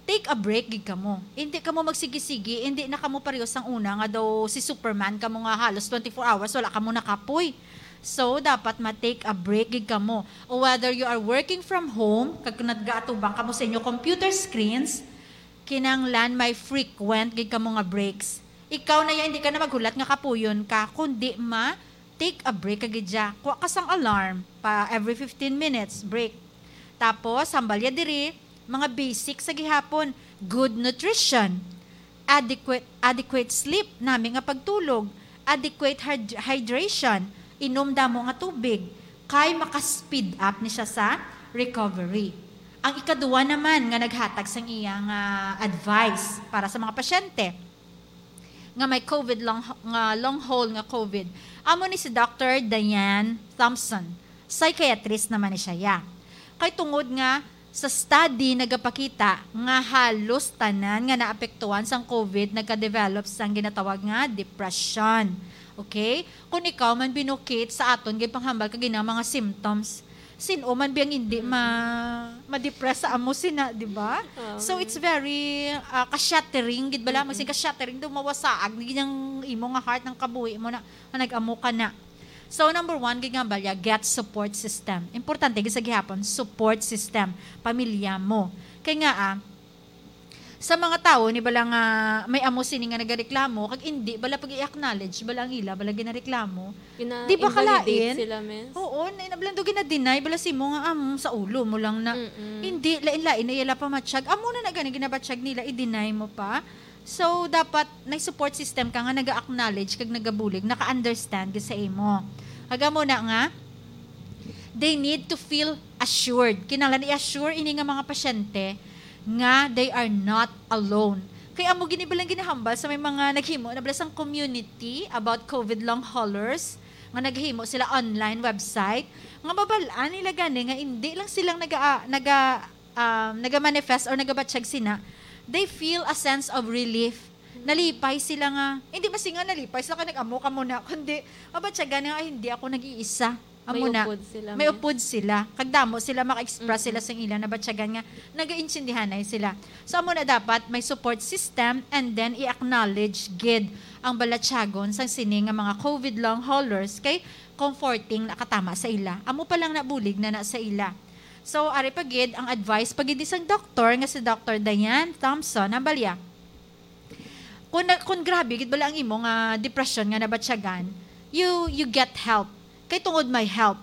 take a break gid kamo. Hindi kamo magsigi-sigi, hindi na kamo pareho sang una nga daw si Superman kamo nga halos twenty-four hours wala kamo nakapoy. So, dapat ma-take a break gid kamo. O whether you are working from home, kag nagaatubang kamo sa inyo computer screens, kinahanglan may frequent gid kamo nga breaks. Ikaw na yan, hindi ka na maghulat nga kapuyon ka, kundi ma take a break ka gid ya. Kuha ka sang alarm pa every fifteen minutes, break. Tapos, hambal ya diri, mga basic sa gihapon, good nutrition, adequate, adequate sleep, nami nga pagtulog, adequate hyd-, hydration, inom damo nga tubig, kay maka-speed up ni siya sa recovery. Ang ikaduha naman nga naghatag sang iya nga advice para sa mga pasyente nga may COVID long, nga long haul nga COVID, amo ni si Doctor Diane Thompson. Psychiatrist naman ni siya, ya. Kay tungod nga sa study nagapakita nga halos tanan nga naapektuhan sang COVID nagka-develop sang ginatawag nga depression. Okay? Kung ikaw man binukit sa aton ginpanghambal kag ina mga symptoms, sin-o man biyang hindi ma-, ma-depress sa amo sina, di ba? Oo. So, it's very, ah, ka-shattering, gid bala? Mm-mm. Magsin ka-shattering, daw mawasaag ni gid ang imo nga heart, ang kabuhi mo na, nga nag-amo ka na. So, number one, gid nga balya, get support system. Importante gid sa gihapon, support system, pamilya mo. Kay nga, ah, sa mga tawo ni bala nga may amo sini nga nagareklamo, kag indi bala pag i-acknowledge bala ang ila bala ginareklamo. Gina-, Di ba invalidate kalain? Sila, miss. Oo, na, na bala daw gina-deny bala simo nga, "Am, sa ulo mo lang na." Mm-mm. Hindi, lain-lain na ila pamatsyag. Amo na na gani ginabatsyag nila, i-deny mo pa. So, dapat may support system ka nga naga-acknowledge kag nagabulig, naka-understand gid sa imo. Kag amo na nga, they need to feel assured. Kinahanglan i-assure ini nga mga pasyente nga they are not alone. Kay amo gini bala ang ginahambal sa may mga naghimo na bala sang community about COVID long haulers, nga naghimo sila online website, nga mabal-an nila gani nga hindi lang silang naga-, naga-, um, naga-manifest or nagabatsyag sina, they feel a sense of relief. Nalipay sila nga, hindi masinga nalipay sila kay nag-amo ka mo na, kundi mabatyagan nga, "Ay, hindi ako nag-iisa." Amo May na, upod sila, may miss. Upod sila. Kag damo sila maka-express Mm-mm. sila sa ila nabatyagan nga nagaintindihanay sila. So, amo na dapat may support system and then i-acknowledge gid ang balatyagon sang sini nga mga COVID long haulers kay comforting na katama sa ila. Amo pa lang nabulig na na sa ila. So, ari pa gid ang advice pa gid ni sang doktor nga si Doctor Diane Thompson, hambal ya, kung, na, kung grabe gid bala ang imo nga depression nga nabatyagan, you, you get help. Kay tungod may help.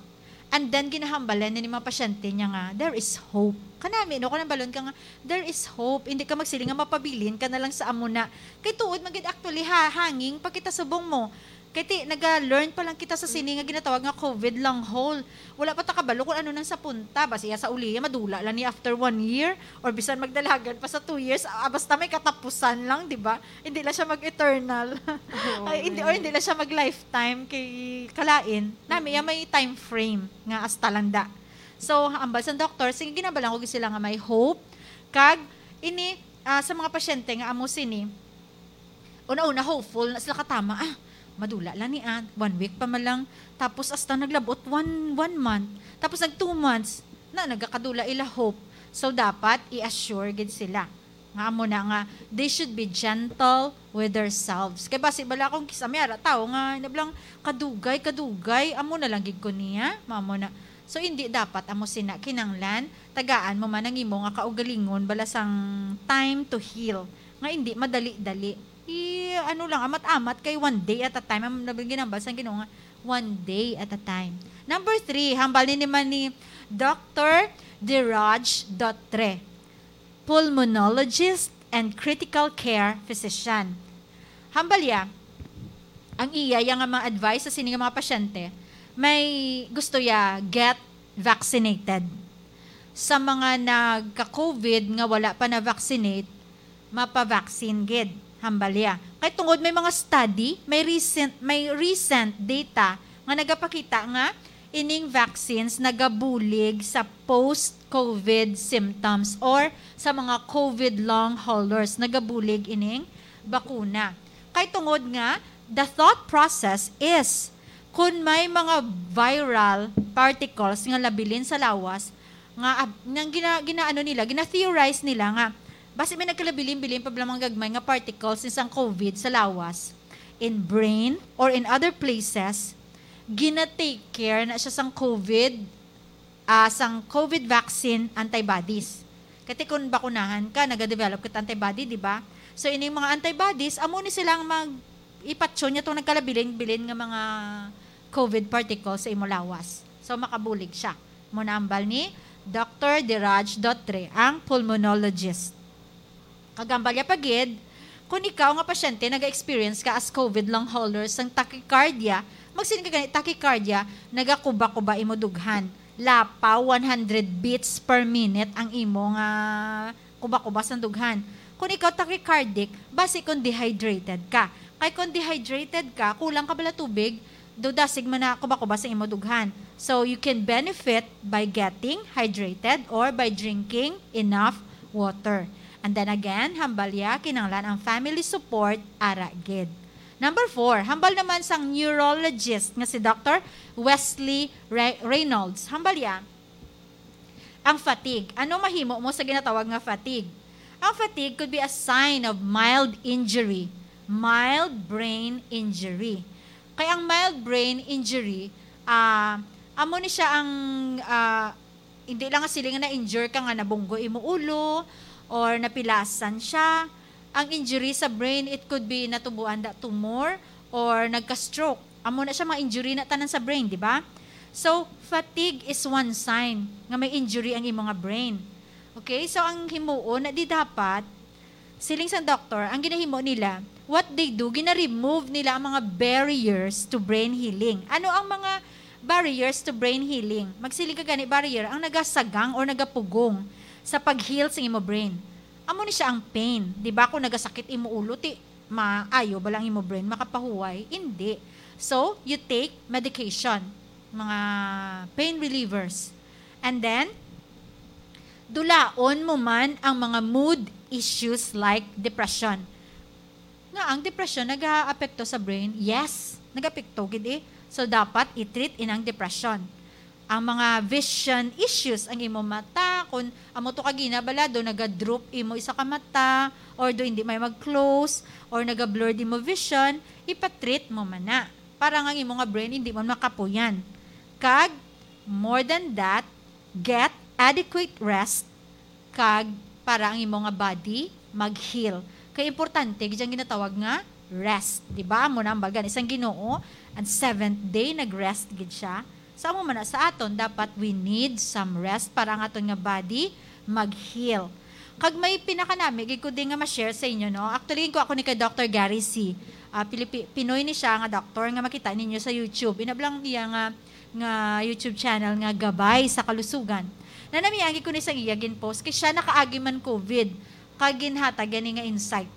And then, ginahambalan ni mga pasyente niya nga, "There is hope." Kanami, no? Kung nambalon ka nga, "There is hope." Hindi ka magsiling nga mapabilin ka na lang sa amo na. Kay tuod man gid, actually, ha, hanging pa kita subong mo. Kay ti, naga-learn pa lang kita sa sini nga ginatawag nga COVID long haul. Wala pa ta kabalo kung ano nang sa punta. Basi ya sa uliya, madula lang ni after one year. Or bisan magdalagan pa sa two years. Ah, basta may katapusan lang, di ba? Hindi lang siya mag-eternal. Oo, Ay, hindi, or man. Hindi lang siya mag-lifetime kay kalain. Nami ya may time frame nga hasta lang da. So, ambal sang doktor, sige, ginabalan ko sila nga may hope. Kag, ini, ah, sa mga pasyente nga amo sini, una-una, hopeful na sila katama. Ah, madula lang ni, ah, one week pa man lang. Tapos hasta naglabot one, one month. Tapos nag two months, na nagakadula ila hope. So, dapat i-assure gid sila nga amo na nga they should be gentle with themselves. Kay basi bala kung kisa may ara tao nga nablang kadugay, kadugay, amo na lang gid ko niya, mamo na. So, hindi dapat amo sina kinanglan, tagaan mo man ang imo nga kaugalingon bala sang time to heal, nga hindi madali-dali. I, ano lang, amat-amat kay one day at a time. Ang nabing ginambal sang Ginoo nga, one day at a time. Number three, hambal ni naman ni Doctor Diraj Dotre, pulmonologist and critical care physician. Hambal ya, ang iya ya nga mga advice sa sini nga mga pasyente, may gusto ya get vaccinated. Sa mga nagka-COVID nga wala pa na-vaccinate, mapa-vaccine gid, hambal ya. Kay tungod may mga study, may recent, may recent data nga nagapakita nga ining vaccines nagabulig sa post-COVID symptoms or sa mga COVID long haulers, nagabulig ining bakuna. Kay tungod nga, the thought process is, kun may mga viral particles nga labilin sa lawas, nga, ab-, nga gina-, ginaano nila, gina-theorize nila nga, basi may nagkalabilin-bilin pa bala mga gagmay nga particles ni sang COVID sa lawas, in brain, or in other places, gina-take care na siya sang COVID, ah, sang COVID vaccine antibodies. Kati kung bakunahan ka, nagadevelop ka antibody, di ba? So, ining mga antibodies, amo ni silang mag-, ipatyon niya itong nagkalabilin-bilin nga mga COVID particles sa imo lawas. So, makabulig siya. Mo na hambal ni Doctor Diraj Dotre, ang pulmonologist. Kag hambal ya pa gid, kung ikaw nga pasyente naga-experience ka as COVID long hauler sang tachycardia, magsiling ka gani tachycardia, nagakuba-kuba imo dughan. Lapaw one hundred beats per minute ang imo nga kuba-kuba sang dughan. Kung ikaw tachycardic, basi kung dehydrated ka. Kay kung dehydrated ka, kulang ka bala tubig, do dasig man na kuba-kuba sa imo dughan. So, you can benefit by getting hydrated or by drinking enough water. And then again, hambal ya, kinahanglan ang family support, ara gid. Number four, hambal naman sang neurologist nga si Doctor Wesley Re-, Reynolds. Hambal ya, ang fatigue. Ano mahimo mo sa ginatawag nga fatigue? Ang fatigue could be a sign of mild injury, mild brain injury. Kay ang mild brain injury, ah, amo ni siya ang, ah, hindi lang nga siling nga na-injure ka nga nabunggo imo ulo or napilasan siya. Ang injury sa brain, it could be natubuan da tumor or nagka-stroke. Amo na siya, mga injury na tanan sa brain, di ba? So, fatigue is one sign nga may injury ang imo nga brain. Okay? So, ang himuon na di dapat, siling sang doktor, ang ginahimo nila, what they do, gina-remove nila ang mga barriers to brain healing. Ano ang mga barriers to brain healing? Magsiling ka gani barrier, ang nagasagang or nagapugong sa pag-heal sa imo brain. Amo ni siya ang pain. Di ba, kung nagasakit imo ulo, ti maayo ba lang imo brain makapahuway? Hindi. So, you take medication, mga pain relievers. And then, dulaon mo man ang mga mood issues like depression. Nga ang depression nagaapekto sa brain? Yes, nagaapekto gid eh. So, dapat i-treat inang depression. Ang mga vision issues, ang imo mata, kung amo to ka ginabalado, naga-droop imo isa ka mata, or do hindi may mag-close, or naga-blurred imo vision, ipa-treat mo man na. Para nga ang imo nga brain hindi man makapuyan. Kag, more than that, get adequate rest, kag para ang imo nga body mag-heal. Kay importante gid ang ginatawag nga rest, di ba? Amo na ang bagan isang Ginoo, ang seventh day nag-rest gid siya. Sa amo man na sa aton, dapat we need some rest para ang aton nga body mag-heal. Kag may pinakanami gid ko din nga ma-share sa inyo, no? Actually, ko ako ni kay Doctor Gary C. Ah, Pilipi-, Pinoy ni siya nga doctor nga makita ninyo sa YouTube. Inablang iya nga, nga YouTube channel nga Gabay sa Kalusugan. Nanamian gid ko ni sang iya gin-post kay siya nakaagi man COVID kag ginhatag gani nga insight.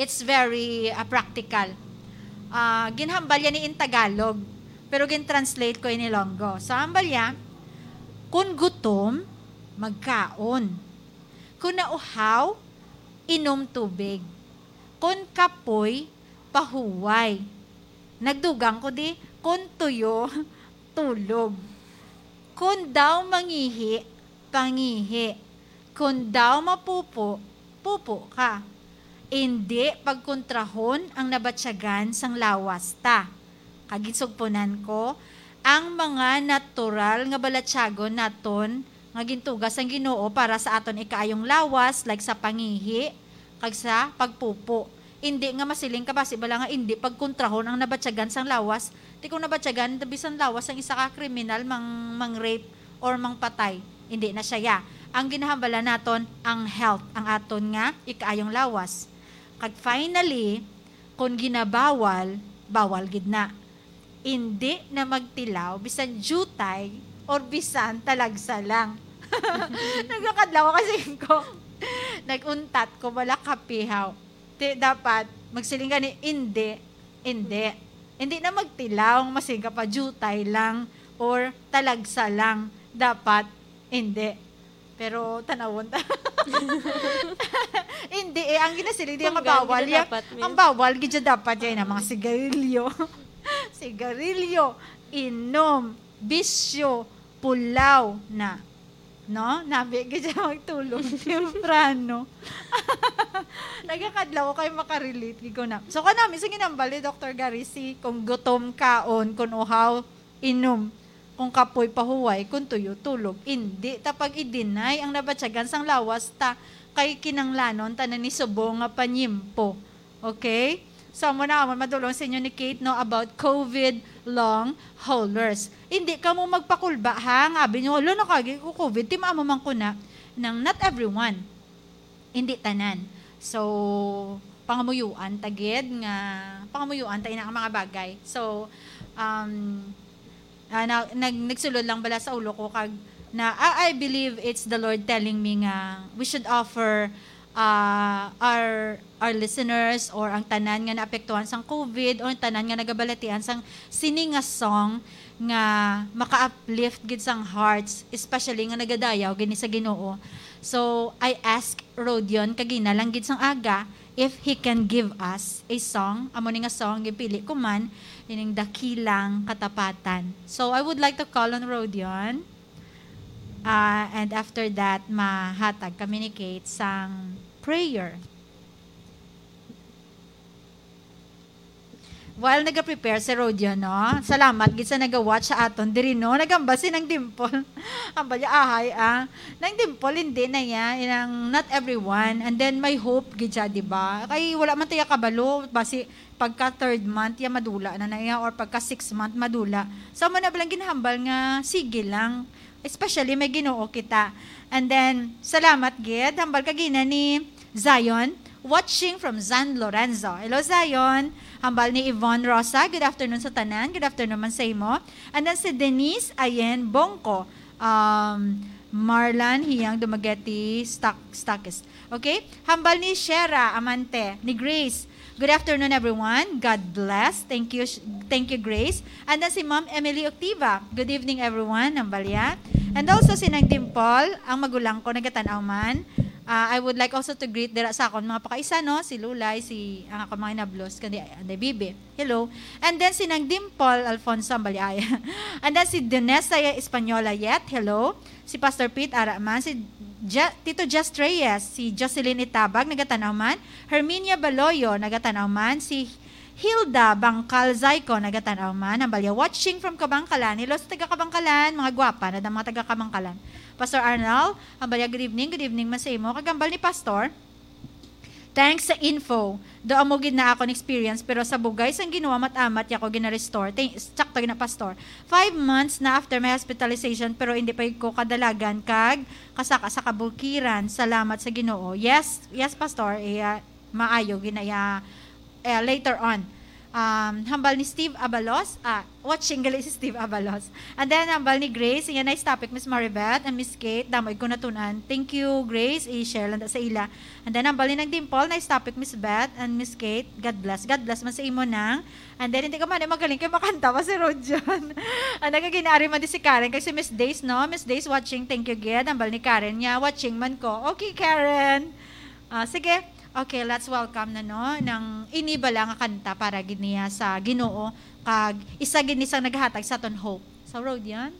It's very, ah, practical. Ah, ginhambal yan ni in Tagalog, pero gin-translate ko in Ilonggo. So, hambal niya, "Kung gutom, magkaon. Kung nauhaw, inom tubig. Kung kapoy, pahuway." Nagdugang ko di, "Kung tuyo, tulog. Kung daw mangihi, pangihi. Kon daw mapupo, pupo ka. Indi pagkontrahon ang nabatyagan sang lawas ta. Kag ginsugponan ko ang mga natural nga balatyagon naton nga gintuga sang Ginoo para sa aton ikaayong lawas, like sa pangihi kag sa pagpupo. Indi nga masiling ka basi bala nga indi pagkontrahon ang nabatyagan sang lawas. Ti kung nabatyagan bisan lawas sang isa ka kriminal, mang, mang-rape or mangpatay, indi na siya ya. Ang ginahambala naton ang health, ang aton nga ikaayong lawas. Kag finally, kon ginabawal, bawal gid na. Indi na magtilaw bisan diutay or bisan talagsa lang. Nagakadlaw kasi ko. Nag-untat ko, wala kapihaw. Ti, dapat, magsiling ka ni, "Indi, indi." Indi na magtilaw, masing ka pa, diutay lang, or talagsa lang. Dapat, indi. Pero, tanawon ta. Indi eh, ang ginasiling, di ang Kung bawal, gani ya, dapat, miss. Ang bawal, gidya dapat, yan, ang mga sigarilyo. Sigarilyo, inom, bisyo, pulaw na. No? Nabi, gidya magtulog, temprano. Nagakadlaw ko kayo makarelate, gid ko na. So, kanami, sa ginambal ni Doktor Garisi, kung gutom, kaon, kung uhaw, inom, kung kapoy, pahuway, kung tuyo, tulog. Indi ta pag-i-deny ang nabatyagan sang lawas ta, kay kinanglanon ta na ni subong nga panyimpo. Okay? So, amo na, amo madulong sa inyo ni Kate, no, about COVID long haulers. Hindi ka mo magpakulba, ha? Nga abi nyo, "Lo, nakagi ko COVID, ti maamo man ko na." Nang not everyone. Hindi tanan. So, pangamuyuan ta gid nga, pangamuyuan ta ina ang mga bagay. So, um, ah, na, nag, nagsulod lang bala sa ulo ko kag na, ah, I believe it's the Lord telling me nga we should offer, ah, our, our listeners or ang tanan nga naapektuhan sang COVID or ang tanan nga nagabalatian sang sini nga song nga maka-uplift gid sang hearts, especially nga nagadayaw gini sa Ginoo. So, I ask Rodion kagina lang gid sang aga if he can give us a song. Amo ni nga song, gipili ko man, ining Dakilang Katapatan. So, I would like to call on Rodion. Ah, and after that, mahatag kami ni Kate sang prayer. While nagaprepare si Rodion, no? Salamat gid sa naga-watch sa aton diri, no? Nagambal si Nang Dimple. Ang balya ahay, ah. Nang Dimple, hindi na ya. Inang not everyone. And then, may hope gid siya, di ba? Kay wala man tayo kabalo. Basi, pagka third month, ya madula na na ya. Or pagka six month, madula. So, mo na balang ginhambal nga, sige lang. Especially, may Ginoo kita. And then, salamat gid. Hambal kagina ni Zion, watching from San Lorenzo. Hello, Zion. Hambal ni Yvonne Rosa, good afternoon sa tanan. Good afternoon man sa imo. And then si Denise Ayen Bongko, um, Marlan Hiyang Dumaguete, Stock, Stockist. Okay? Hambal ni Shera Amante, ni Grace. Good afternoon, everyone. God bless. Thank you, sh-, thank you, Grace. And then si Ma'am Emily Octiva. Good evening, everyone. Hambal ya. And also si Nang Dimple, ang magulang ko, nagatan-aw man. Ah, I would like also to greet dira sa akon mga pakaisan, no? Si Lulay, si, ang akon mga inablos, kundi Anday Bibi. Hello. And then si Nang Dimple Alfonso, hambal ya. And then si Dinesa Española yet. Hello. Si Pastor Pete, ara man. Si Ja-, Tito Just Reyes, si Jocelyn Itabag, nagatan-aw man. Herminia Baloyo, nagatan-aw man. Si Hilda Bangkal Zaiko, nagatan-aw man. Hambal ya, watching from Kabangkalan. Hello sa taga Kabangkalan, mga gwapa na ang mga taga Kabangkalan. Pastor Arnel, hambal ya, good evening, good evening man sa imo. Kag hambal ni Pastor, thanks sa info. Do amo gid na akon experience, pero sa bugay sang Ginoo, amat-amat ya ko gina-restore. Thank, sakto gid na, Pastor. Five months na after my hospitalization, pero hindi pa gid ko kadalagan kag kasaka sa kabukiran. Salamat sa Ginoo. Yes, yes, Pastor. Eh, ah, maayo gid na ya, eh, later on. Um, hambal ni Steve Abalos, ah, watching gali si Steve Abalos. And then, hambal ni Grace, iya, nice topic, Miss Maribeth and Miss Kate. Damo ko natun-an. Thank you, Grace. I-share lang ta sa ila. And then, hambal ni Nang Dimple, nice topic, Miss Beth and Miss Kate. God bless. God bless man sa imo, Nang. And then, hindi ka man, eh, magaling kay makanta pa si Rojan. Ang nagaginaari man di si Karen, kay si Miss Days, no? Miss Days watching, thank you, gid. Hambal ni Karen niya, watching man ko. Okay, Karen. Ah, sige. Okay, let's welcome na, no, nang ini bala nga kanta para gid niya sa Ginoo, kag isa gid ni sang naghatag sa aton hope. Sa road yan?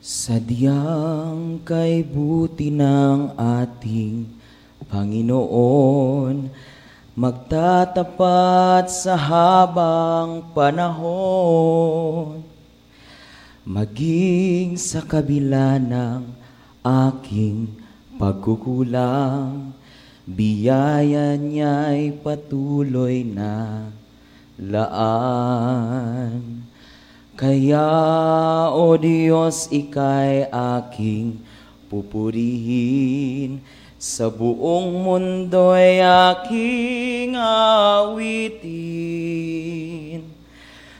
Sadyang kay buti ng ating Panginoon, magtatapat sa habang panahon. Maging sa kabila ng aking pagkukulang, biyaya niya'y patuloy na laan. Kaya, O Dios, ika'y aking pupurihin, sa buong mundo'y aking awitin.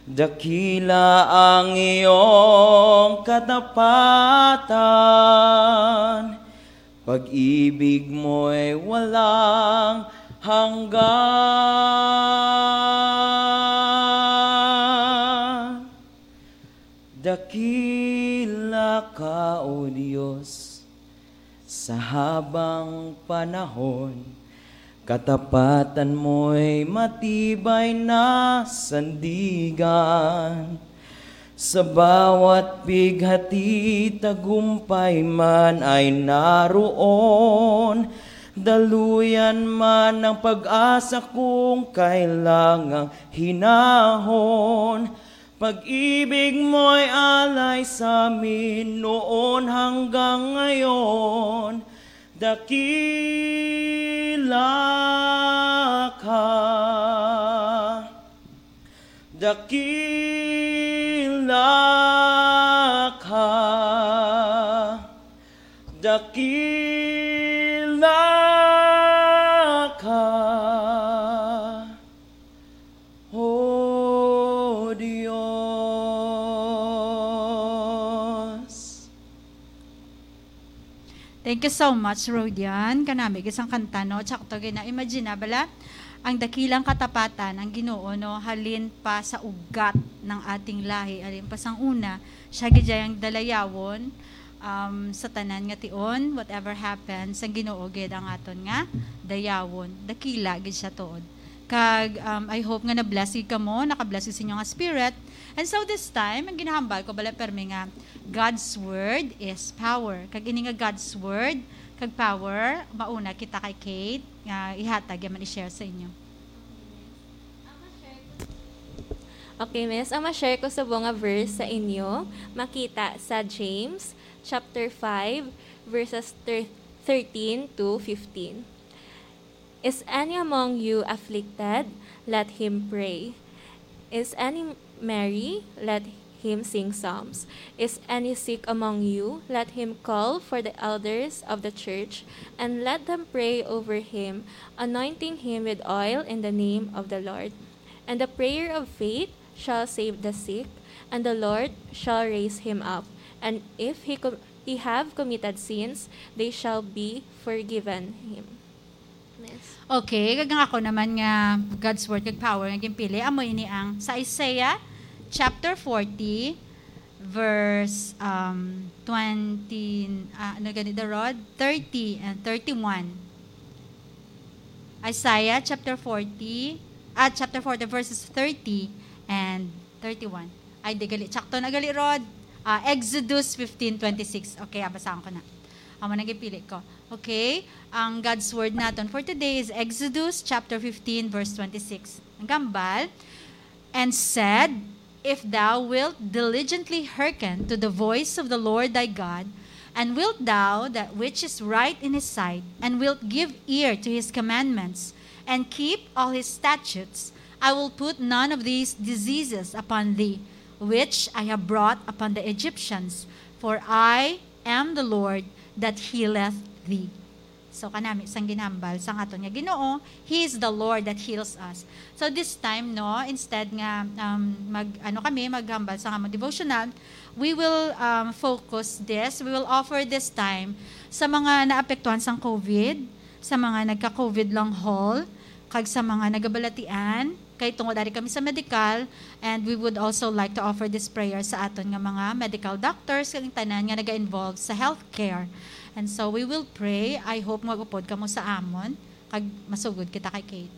Dakila ang iyong katapatan, pag-ibig mo'y walang hanggan. Dakila ka, O Dios, sa habang panahon, katapatan mo'y matibay na sandigan. Sa bawat pighati, tagumpay man ay naroon. Daluyan man ang pag-asa kung kailangang hinahon. Pag-ibig mo'y alay sa amin noon hanggang ngayon. Dakila ka. Dakila ka. Dakila ka, O Dios. Thank you so much, Rodian. Kanami, isang kanta, no? Tsaka to, gina-, imagine na, bala, ang dakilang katapatan, ang Ginoo, no? Halin pa sa ugat ng ating lahi, halin pa sang una, siya gid ang dalayawon, um, sa tanan nga tion, whatever happens, ang Ginoo gid ang aton nga dayawon. Dakila gid siya tuod. Kag, um, I hope nga na-bless gid kamo, naka-bless gid sa inyo nga spirit. And so this time, ang ginahambal ko, bala, permi nga God's word is power. Kag ini nga God's word kag power, mauna kita kay Kate, nga ihatag ya man i-share sa inyo. Okay, miss. Ang ma-share ko sa nga verse sa inyo, makita sa James chapter five, verses thir-, thirteen to fifteen. Is any among you afflicted? Let him pray. Is any merry? Let him sing psalms. Is any sick among you? Let him call for the elders of the church, and let them pray over him, anointing him with oil in the name of the Lord. And the prayer of faith shall save the sick, and the Lord shall raise him up. And if he com-, he have committed sins, they shall be forgiven him. Miss. Okay, kag ang ako naman nga God's word kag power nga ginpili, amo ini ang sa Isaiah chapter forty, verse, um, twenty, ah, ano gani, the Rod? Thirty and thirty-one. Isaiah chapter forty, ah, chapter forty, verses thirty and thirty-one. Ay, di gali. Tsakto na gali, Rod. Ah, Exodus fifteen twenty-six. Okay, ah, basahan ko na. Amo na gipili ko. Okay, ang God's word naton for today is Exodus chapter fifteen, verse twenty-six. Ang gambal, "And said, If thou wilt diligently hearken to the voice of the Lord thy God, and wilt thou that which is right in his sight, and wilt give ear to his commandments, and keep all his statutes, I will put none of these diseases upon thee, which I have brought upon the Egyptians, for I am the Lord that healeth thee." So, kanami sang ginhambal sang aton nga Ginoo, He is the Lord that heals us. So, this time, no, instead nga, um, mag, ano kami, maghambal sa among devotional, we will, um, focus this, we will offer this time sa mga naapektuhan sang COVID, sa mga nagka-COVID long haul, kag sa mga nagabalatian, kay tungod ari kami sa medical, and we would also like to offer this prayer sa aton nga mga medical doctors kag tanan nga naga-involve sa healthcare. And so we will pray. I hope mag-upod kamo sa amon, kag masugod kita kay Kate.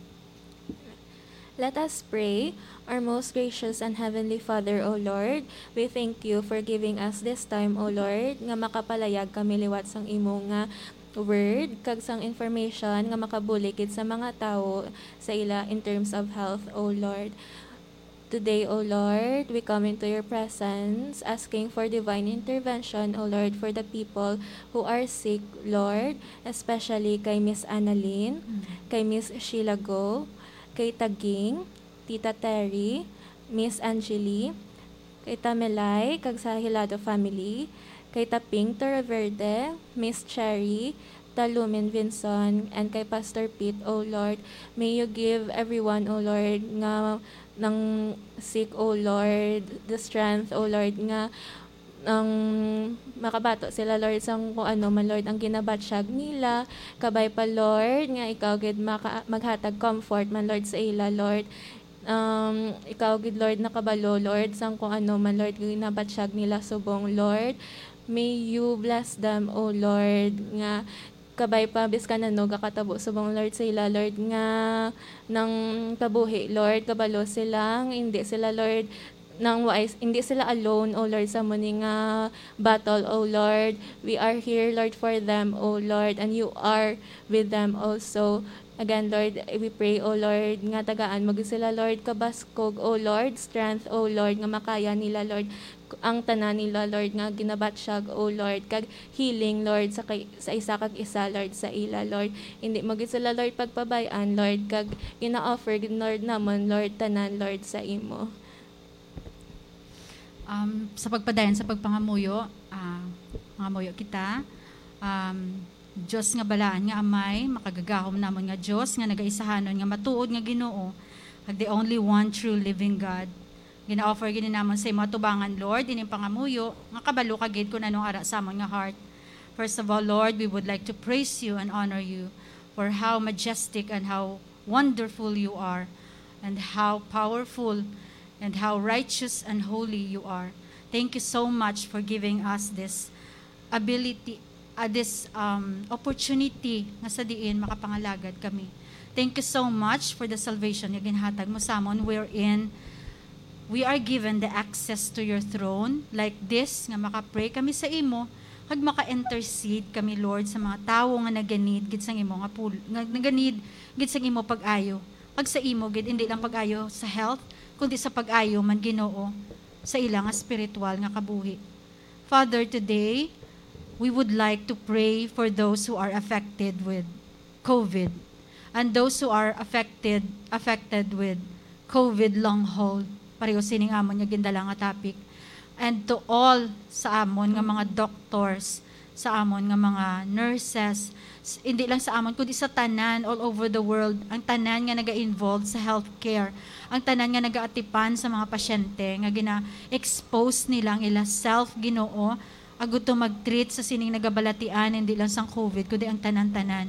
Let us pray. Our most gracious and heavenly Father, O Lord, we thank you for giving us this time, O Lord, nga makapalayag kami liwat sang imo nga word kag sang information nga makabulig gid sa mga tawo sa ila in terms of health, O Lord. Today, O Lord, we come into your presence asking for divine intervention, O Lord, for the people who are sick, Lord, especially kay Miss Annalyn, kay Miss Sheila Go, kay Taging, Tita Terry, Miss Angeli, kay Tamelay, kag sa Hilado family, kay Taping Torreverde, Miss Cherry, Talumin Vinson, and kay Pastor Pete, O Lord. May you give everyone, O Lord, nga nang sick, O Lord, the strength, O Lord, nga ang makabato sila, Lord, sang kung ano man, Lord, ang ginabatyag nila. Kabay pa, Lord, nga ikaw gid maka-, maghatag comfort man, Lord, sa ila, Lord. Um, ikaw gid, Lord, nakabalo, Lord, sang kung ano man, Lord, ginabatyag nila subong, Lord. May you bless them, O Lord, nga kabay pa, biskan ano gakatabo subong, Lord, sa ila, Lord, nga nang kabuhi, Lord, kabalo sila, nga hindi sila, Lord, nang waay, hindi sila alone, O Lord, sa muni nga battle, O Lord. We are here, Lord, for them, O Lord, and you are with them also. Again, Lord, we pray, O Lord, nga tagaan mo gid sila, Lord, kabaskog, O Lord, strength, O Lord, nga makaya nila, Lord, ang tanan nila, Lord, nga ginabatyag, O Lord, kag healing, Lord, sa kay, sa isa kag isa, Lord, sa ila, Lord. Hindi mo gid sila, Lord, pagpabay-an, Lord, kag gina-offer gid, Lord, namon, Lord, tanan, Lord, sa imo. Um, sa pagpadayon sa pagpangamuyo, ah, mangamuyo kita. Um, Dios nga balaan nga Amay, makagagahom namon nga Dios, nga nagaisahanon nga matuod nga Ginoo, kag the only one true living God. Gina-offer gid namon sa imo atubangan, Lord, ining pangamuyo, nga kabalo ka gid kun anong ara sa amon nga heart. First of all, Lord, we would like to praise you and honor you for how majestic and how wonderful you are, and how powerful and how righteous and holy you are. Thank you so much for giving us this ability, uh, this, um, opportunity nga sa diin makapangalagad kami. Thank you so much for the salvation nga ginhatag mo sa amon, wherein we are given the access to your throne like this, nga maka-pray kami sa imo, kag maka-intercede kami, Lord, sa mga tawo nga naganid gid sang imo nga pul-, nga naganid gid sang imo pag-ayo, kag sa imo gid, hindi lang pag-ayo sa health, kundi sa pag-ayo man, Ginoo, sa ila nga spiritual nga kabuhi. Father, today, we would like to pray for those who are affected with COVID and those who are affected, affected with COVID long haul. Pareho sining amon nga gindala nga topic. And to all sa amon nga mga doctors, sa amon nga mga nurses, s-, hindi lang sa amon, kundi sa tanan all over the world, ang tanan nga naga-involve sa healthcare, ang tanan nga nagaatipan sa mga pasyente nga gina-expose nila ang ila self, Ginoo, agud to mag-treat sa sining nagabalatian, hindi lang sang COVID, kundi ang tanan-tanan.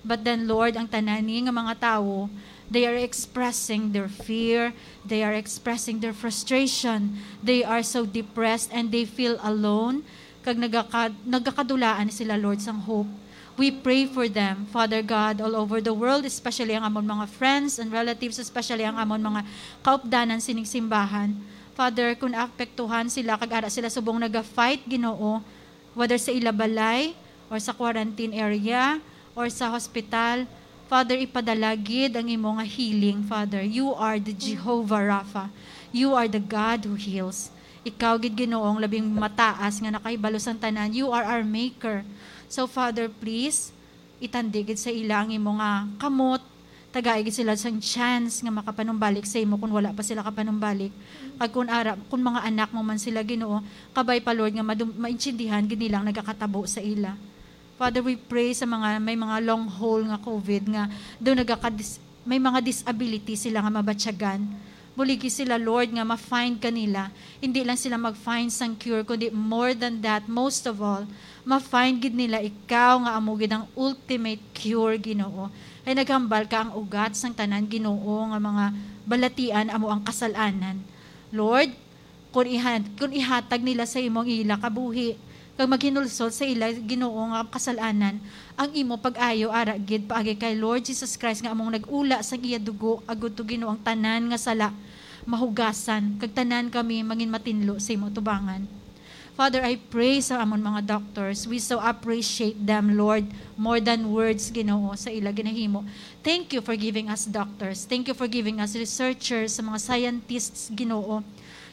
But then, Lord, ang tanan ni nga mga tawo, they are expressing their fear, they are expressing their frustration, they are so depressed, and they feel alone, kag nagaka-, nagakadulaan sila, Lord, sang hope. We pray for them, Father God, all over the world, especially ang amon mga friends and relatives, especially ang amon mga kaupdanan sining simbahan. Father, kung naapektuhan sila, kag ara sila subong naga-fight, Ginoo, whether sa ila balay, or sa quarantine area, or sa hospital, Father, ipadala gid ang imo nga healing, Father. You are the Jehovah Rapha. You are the God who heals. Ikaw gid, Ginoo, ang labing mataas nga nakahibalo sang tanan. You are our maker. So, Father, please, itandi gid sa ila ang imo nga kamot. Tagai gid sila sang chance nga makapanumbalik sa imo kung wala pa sila kapanumbalik. Kag kung ara, kung mga anak mo man sila, Ginoo, kabay pa, Lord, nga madum-, maintindihan gid nila ang nagakatabo sa ila. Father, we pray sa mga may mga long haul nga COVID nga do nagakadis-, may mga disability sila nga mabatyagan. Buligi sila, Lord, nga ma-find ka nila. Hindi lang sila mag-find sang cure, kundi more than that, most of all, ma-find gid nila ikaw nga amo gid ang ultimate cure, Ginoo. Kay naghambal ka, ang ugat sang tanan, Ginoo, nga mga balatian amo ang kasal-anan. Lord, kung ihan-, kung ihatag nila sa imo ang ila kabuhi, kag maghinulsol sa ila, Ginoo, nga kasalanan, ang imo pag-ayo ara gid paagi kay Lord Jesus Christ nga among nag-ula sang iya dugo, agud to, Ginoo, ang tanan nga sala mahugasan, kag tanan kami mangin matinlo sa imo atubangan. Father, I pray sa amon mga doctors. We so appreciate them, Lord, more than words, Ginoo, sa ila ginahimo. Thank you for giving us doctors. Thank you for giving us researchers, sa mga scientists, Ginoo.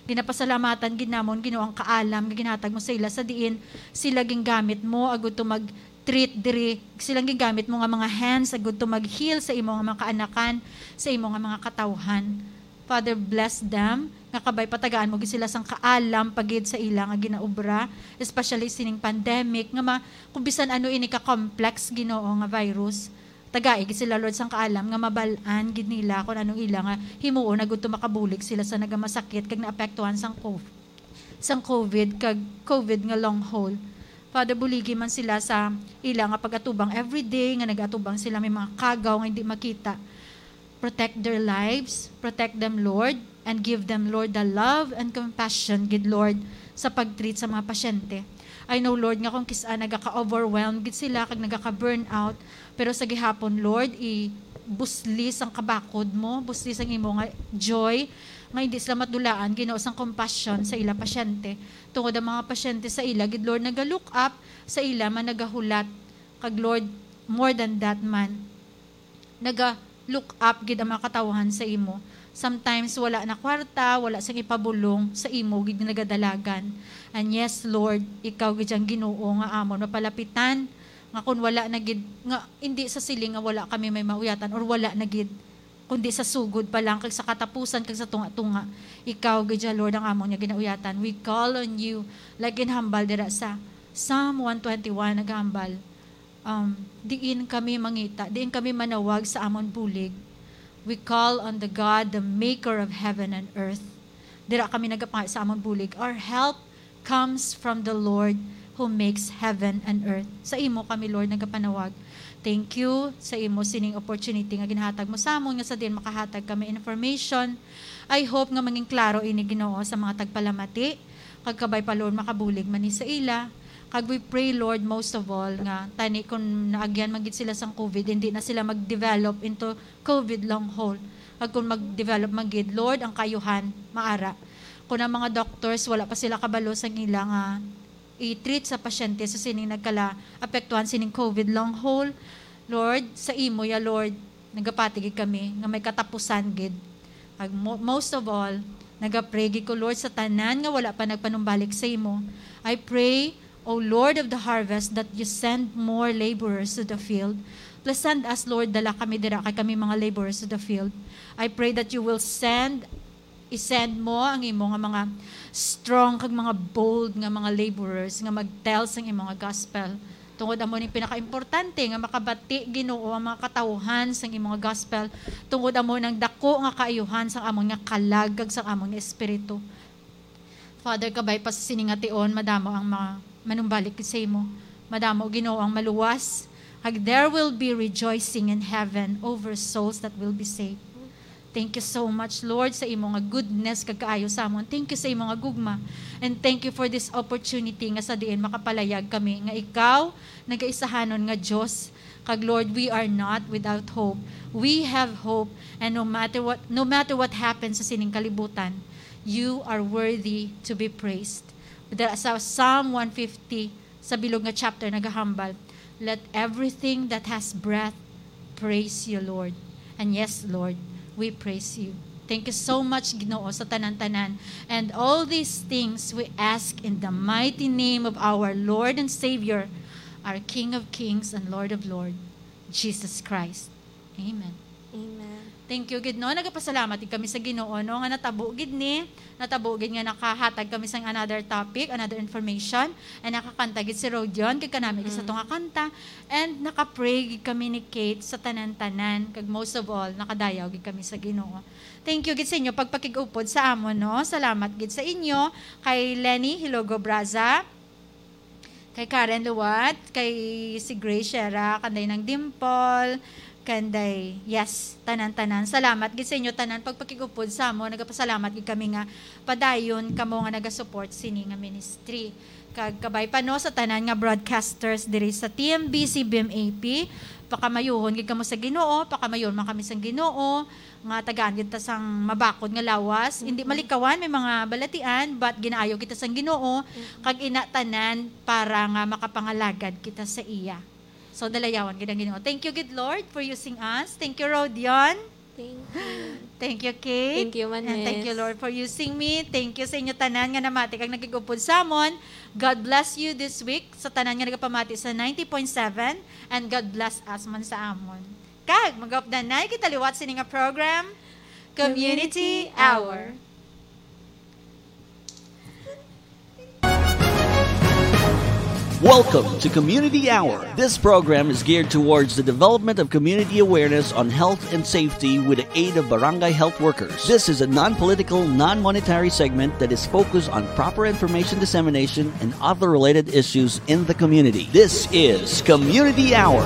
Ginapasalamatan gid namon, Ginoo, ang kaalam nga ginhatag mo sa ila, sa diin sila gingamit mo agud to mag-treat diri, sila gingamit mo nga mga hands agud to mag-heal sa imo nga mga kaanakan, sa imo nga mga katawhan. Father, bless them, nga kabay patagaan mo gid sila sang kaalam pa gid sa ila nga ginaobra, especially sining pandemic, nga ma-, kung bisan ano ini ka complex, Ginoo, nga virus, tagai gid sila, Lord, sang kaalam nga mabal-an gid nila kung anong ila nga himuon agud to makabulig sila sa nagamasakit kag naapektuhan sang co-, sang COVID kag COVID nga long haul. Father, buligi man sila sa ila nga pag-atubang everyday, nga nag-atubang sila may mga kagaw nga hindi makita. Protect their lives, protect them, Lord, and give them, Lord, the love and compassion gid, Lord, sa pag-treat sa mga pasyente. I know, Lord, nga kung kis-a nagaka-overwhelm gid sila kag nagaka-burnout, pero sa gihapon, Lord, ibusli sang kabakod mo, busli sang imo nga joy, nga hindi sila madulaan, Ginoo, sang compassion sa ila pasyente. Tungod ang mga pasyente sa ila gid, Lord, naga-look up sa ila man nagahulat. Kag Lord, more than that man, naga-look up gid ang mga katawhan sa imo. Sometimes wala na kwarta, wala sang ipabulong, sa imo gid nagadalagan. And yes, Lord, ikaw gid ang Ginoo nga amon mapalapitan, nga kun wala na gid, nga hindi sa siling nga wala kami may mauyatan or wala na gid, kundi sa sugod pa lang kag sa katapusan kag sa tunga-tunga, ikaw gid ya, Lord, ang amon nga ginauyatan. We call on you, like ginhambal dira sa Psalm one twenty-one, naghambal, um, diin kami mangita, diin kami manawag sa amon bulig. We call on the God, the maker of heaven and earth. Dira kami nagapangay sa amon bulig. Our help comes from the Lord who makes heaven and earth. Sa imo kami, Lord, nagapanawag. Thank you sa imo sining opportunity nga ginhatag mo sa amon, nga sa diin makahatag kami information. I hope nga mangin klaro ini, Ginoo, sa mga tagpalamati, kag kabay pa, Lord, makabulig man ni sa ila. Kag we pray, Lord, most of all, nga tani kung naagyan man gid sila sang COVID, hindi na sila mag-develop into COVID long haul. Kag kung mag-develop man gid, Lord, ang kaayuhan maara. Kung ang mga doctors, wala pa sila kabalo sang ila nga i-treat sa pasyente sa sining nagkala-apektuhan sining COVID long haul, Lord, sa imo ya, Lord, nagapati gid kami nga may katapusan gid. Ag mo-, most of all, nagapray gid ko, Lord, sa tanan nga wala pa nagpanumbalik sa imo. I pray, O Lord of the harvest, that you send more laborers to the field. Please send us, Lord, dala kami dira kay kami mga laborers to the field. I pray that you will send, i-send mo ang imo nga mga strong kag mga bold nga mga laborers nga mag-tell sang imo nga gospel. Tungod amo ning pinakaimportante nga makabati, Ginoo, ang mga katawuhan sang imo nga gospel. Tungod amo nang dako nga kaayuhan sang amon nga kalag kag sang amon nga espiritu. Father, kabay pa sa sini nga tion, madamo ang mga manumbalik sa imo. Madamo, Ginoo, ang maluwas. Kag there will be rejoicing in heaven over souls that will be saved. Thank you so much, Lord, sa imo nga goodness kag kaayo sa amon. Thank you sa imo nga gugma. And thank you for this opportunity nga sa diin makapalayag kami nga ikaw nagaisahanon nga Dios. Kag Lord, we are not without hope. We have hope, and no matter what, no matter what happens sa sining kalibutan, you are worthy to be praised. Dira sa Psalm one fifty, sa bilog nga chapter, nagahambal, "Let everything that has breath praise you, Lord." And yes, Lord, we praise you. Thank you so much, Ginoo, sa tanan-tanan. And all these things we ask in the mighty name of our Lord and Savior, our King of Kings and Lord of Lords, Jesus Christ. Amen. Amen. Thank you gid, no? Nagapasalamat gid kami sa Ginoo, no, nga natabo gid ni, natabo gid nga nakahatag kami sang another topic, another information, and nakakanta gid si Rodion, kag kanami gid sa Mm. tunga kanta, and nakapray gid kami ni Kate sa tanan-tanan, kag most of all, nakadayaw gid kami sa Ginoo. Thank you gid sa inyo pagpakig-upod sa amon, no? Salamat gid sa inyo, kay Lenny Hilogo Braza, kay Karen Luwat, kay si Grace Shera, kanday nang Dimple, Kanday, yes, tanan-tanan. Salamat gid sa inyo tanan pagpakig-upod sa amon. Nagapasalamat gid kami nga padayon kamo nga nagasupport sini nga ministry. Kag kabay pa, no, sa tanan nga broadcasters diri sa T M B C B M A P, pakamayuhon gid kamo sa Ginoo, pakamayuhon man kami sang Ginoo, nga tagaan gid ta sang mabakod nga lawas. Hindi malikawan, may mga balatian, but ginaayo kita sang Ginoo, kag ina tanan para nga makapangalagad kita sa iya. So, dalayawan gid ang Ginoo. Thank you gid, Lord, for using us. Thank you, Rodion. Thank you. Thank you, Kate. Thank you man, And thank you, Miss. Lord, for using me. Thank you sa inyo tanan nga namati kag nagig-upod sa amon. God bless you this week sa tanan nga nagapamati sa ninety point seven, and God bless us man sa amon. Kag mag-updanay kita liwat sini nga program, Community Community Hour. Hour. Welcome to Community Hour. This program is geared towards the development of community awareness on health and safety with the aid of barangay health workers. This is a non-political, non-monetary segment that is focused on proper information dissemination and other related issues in the community. This is Community Hour.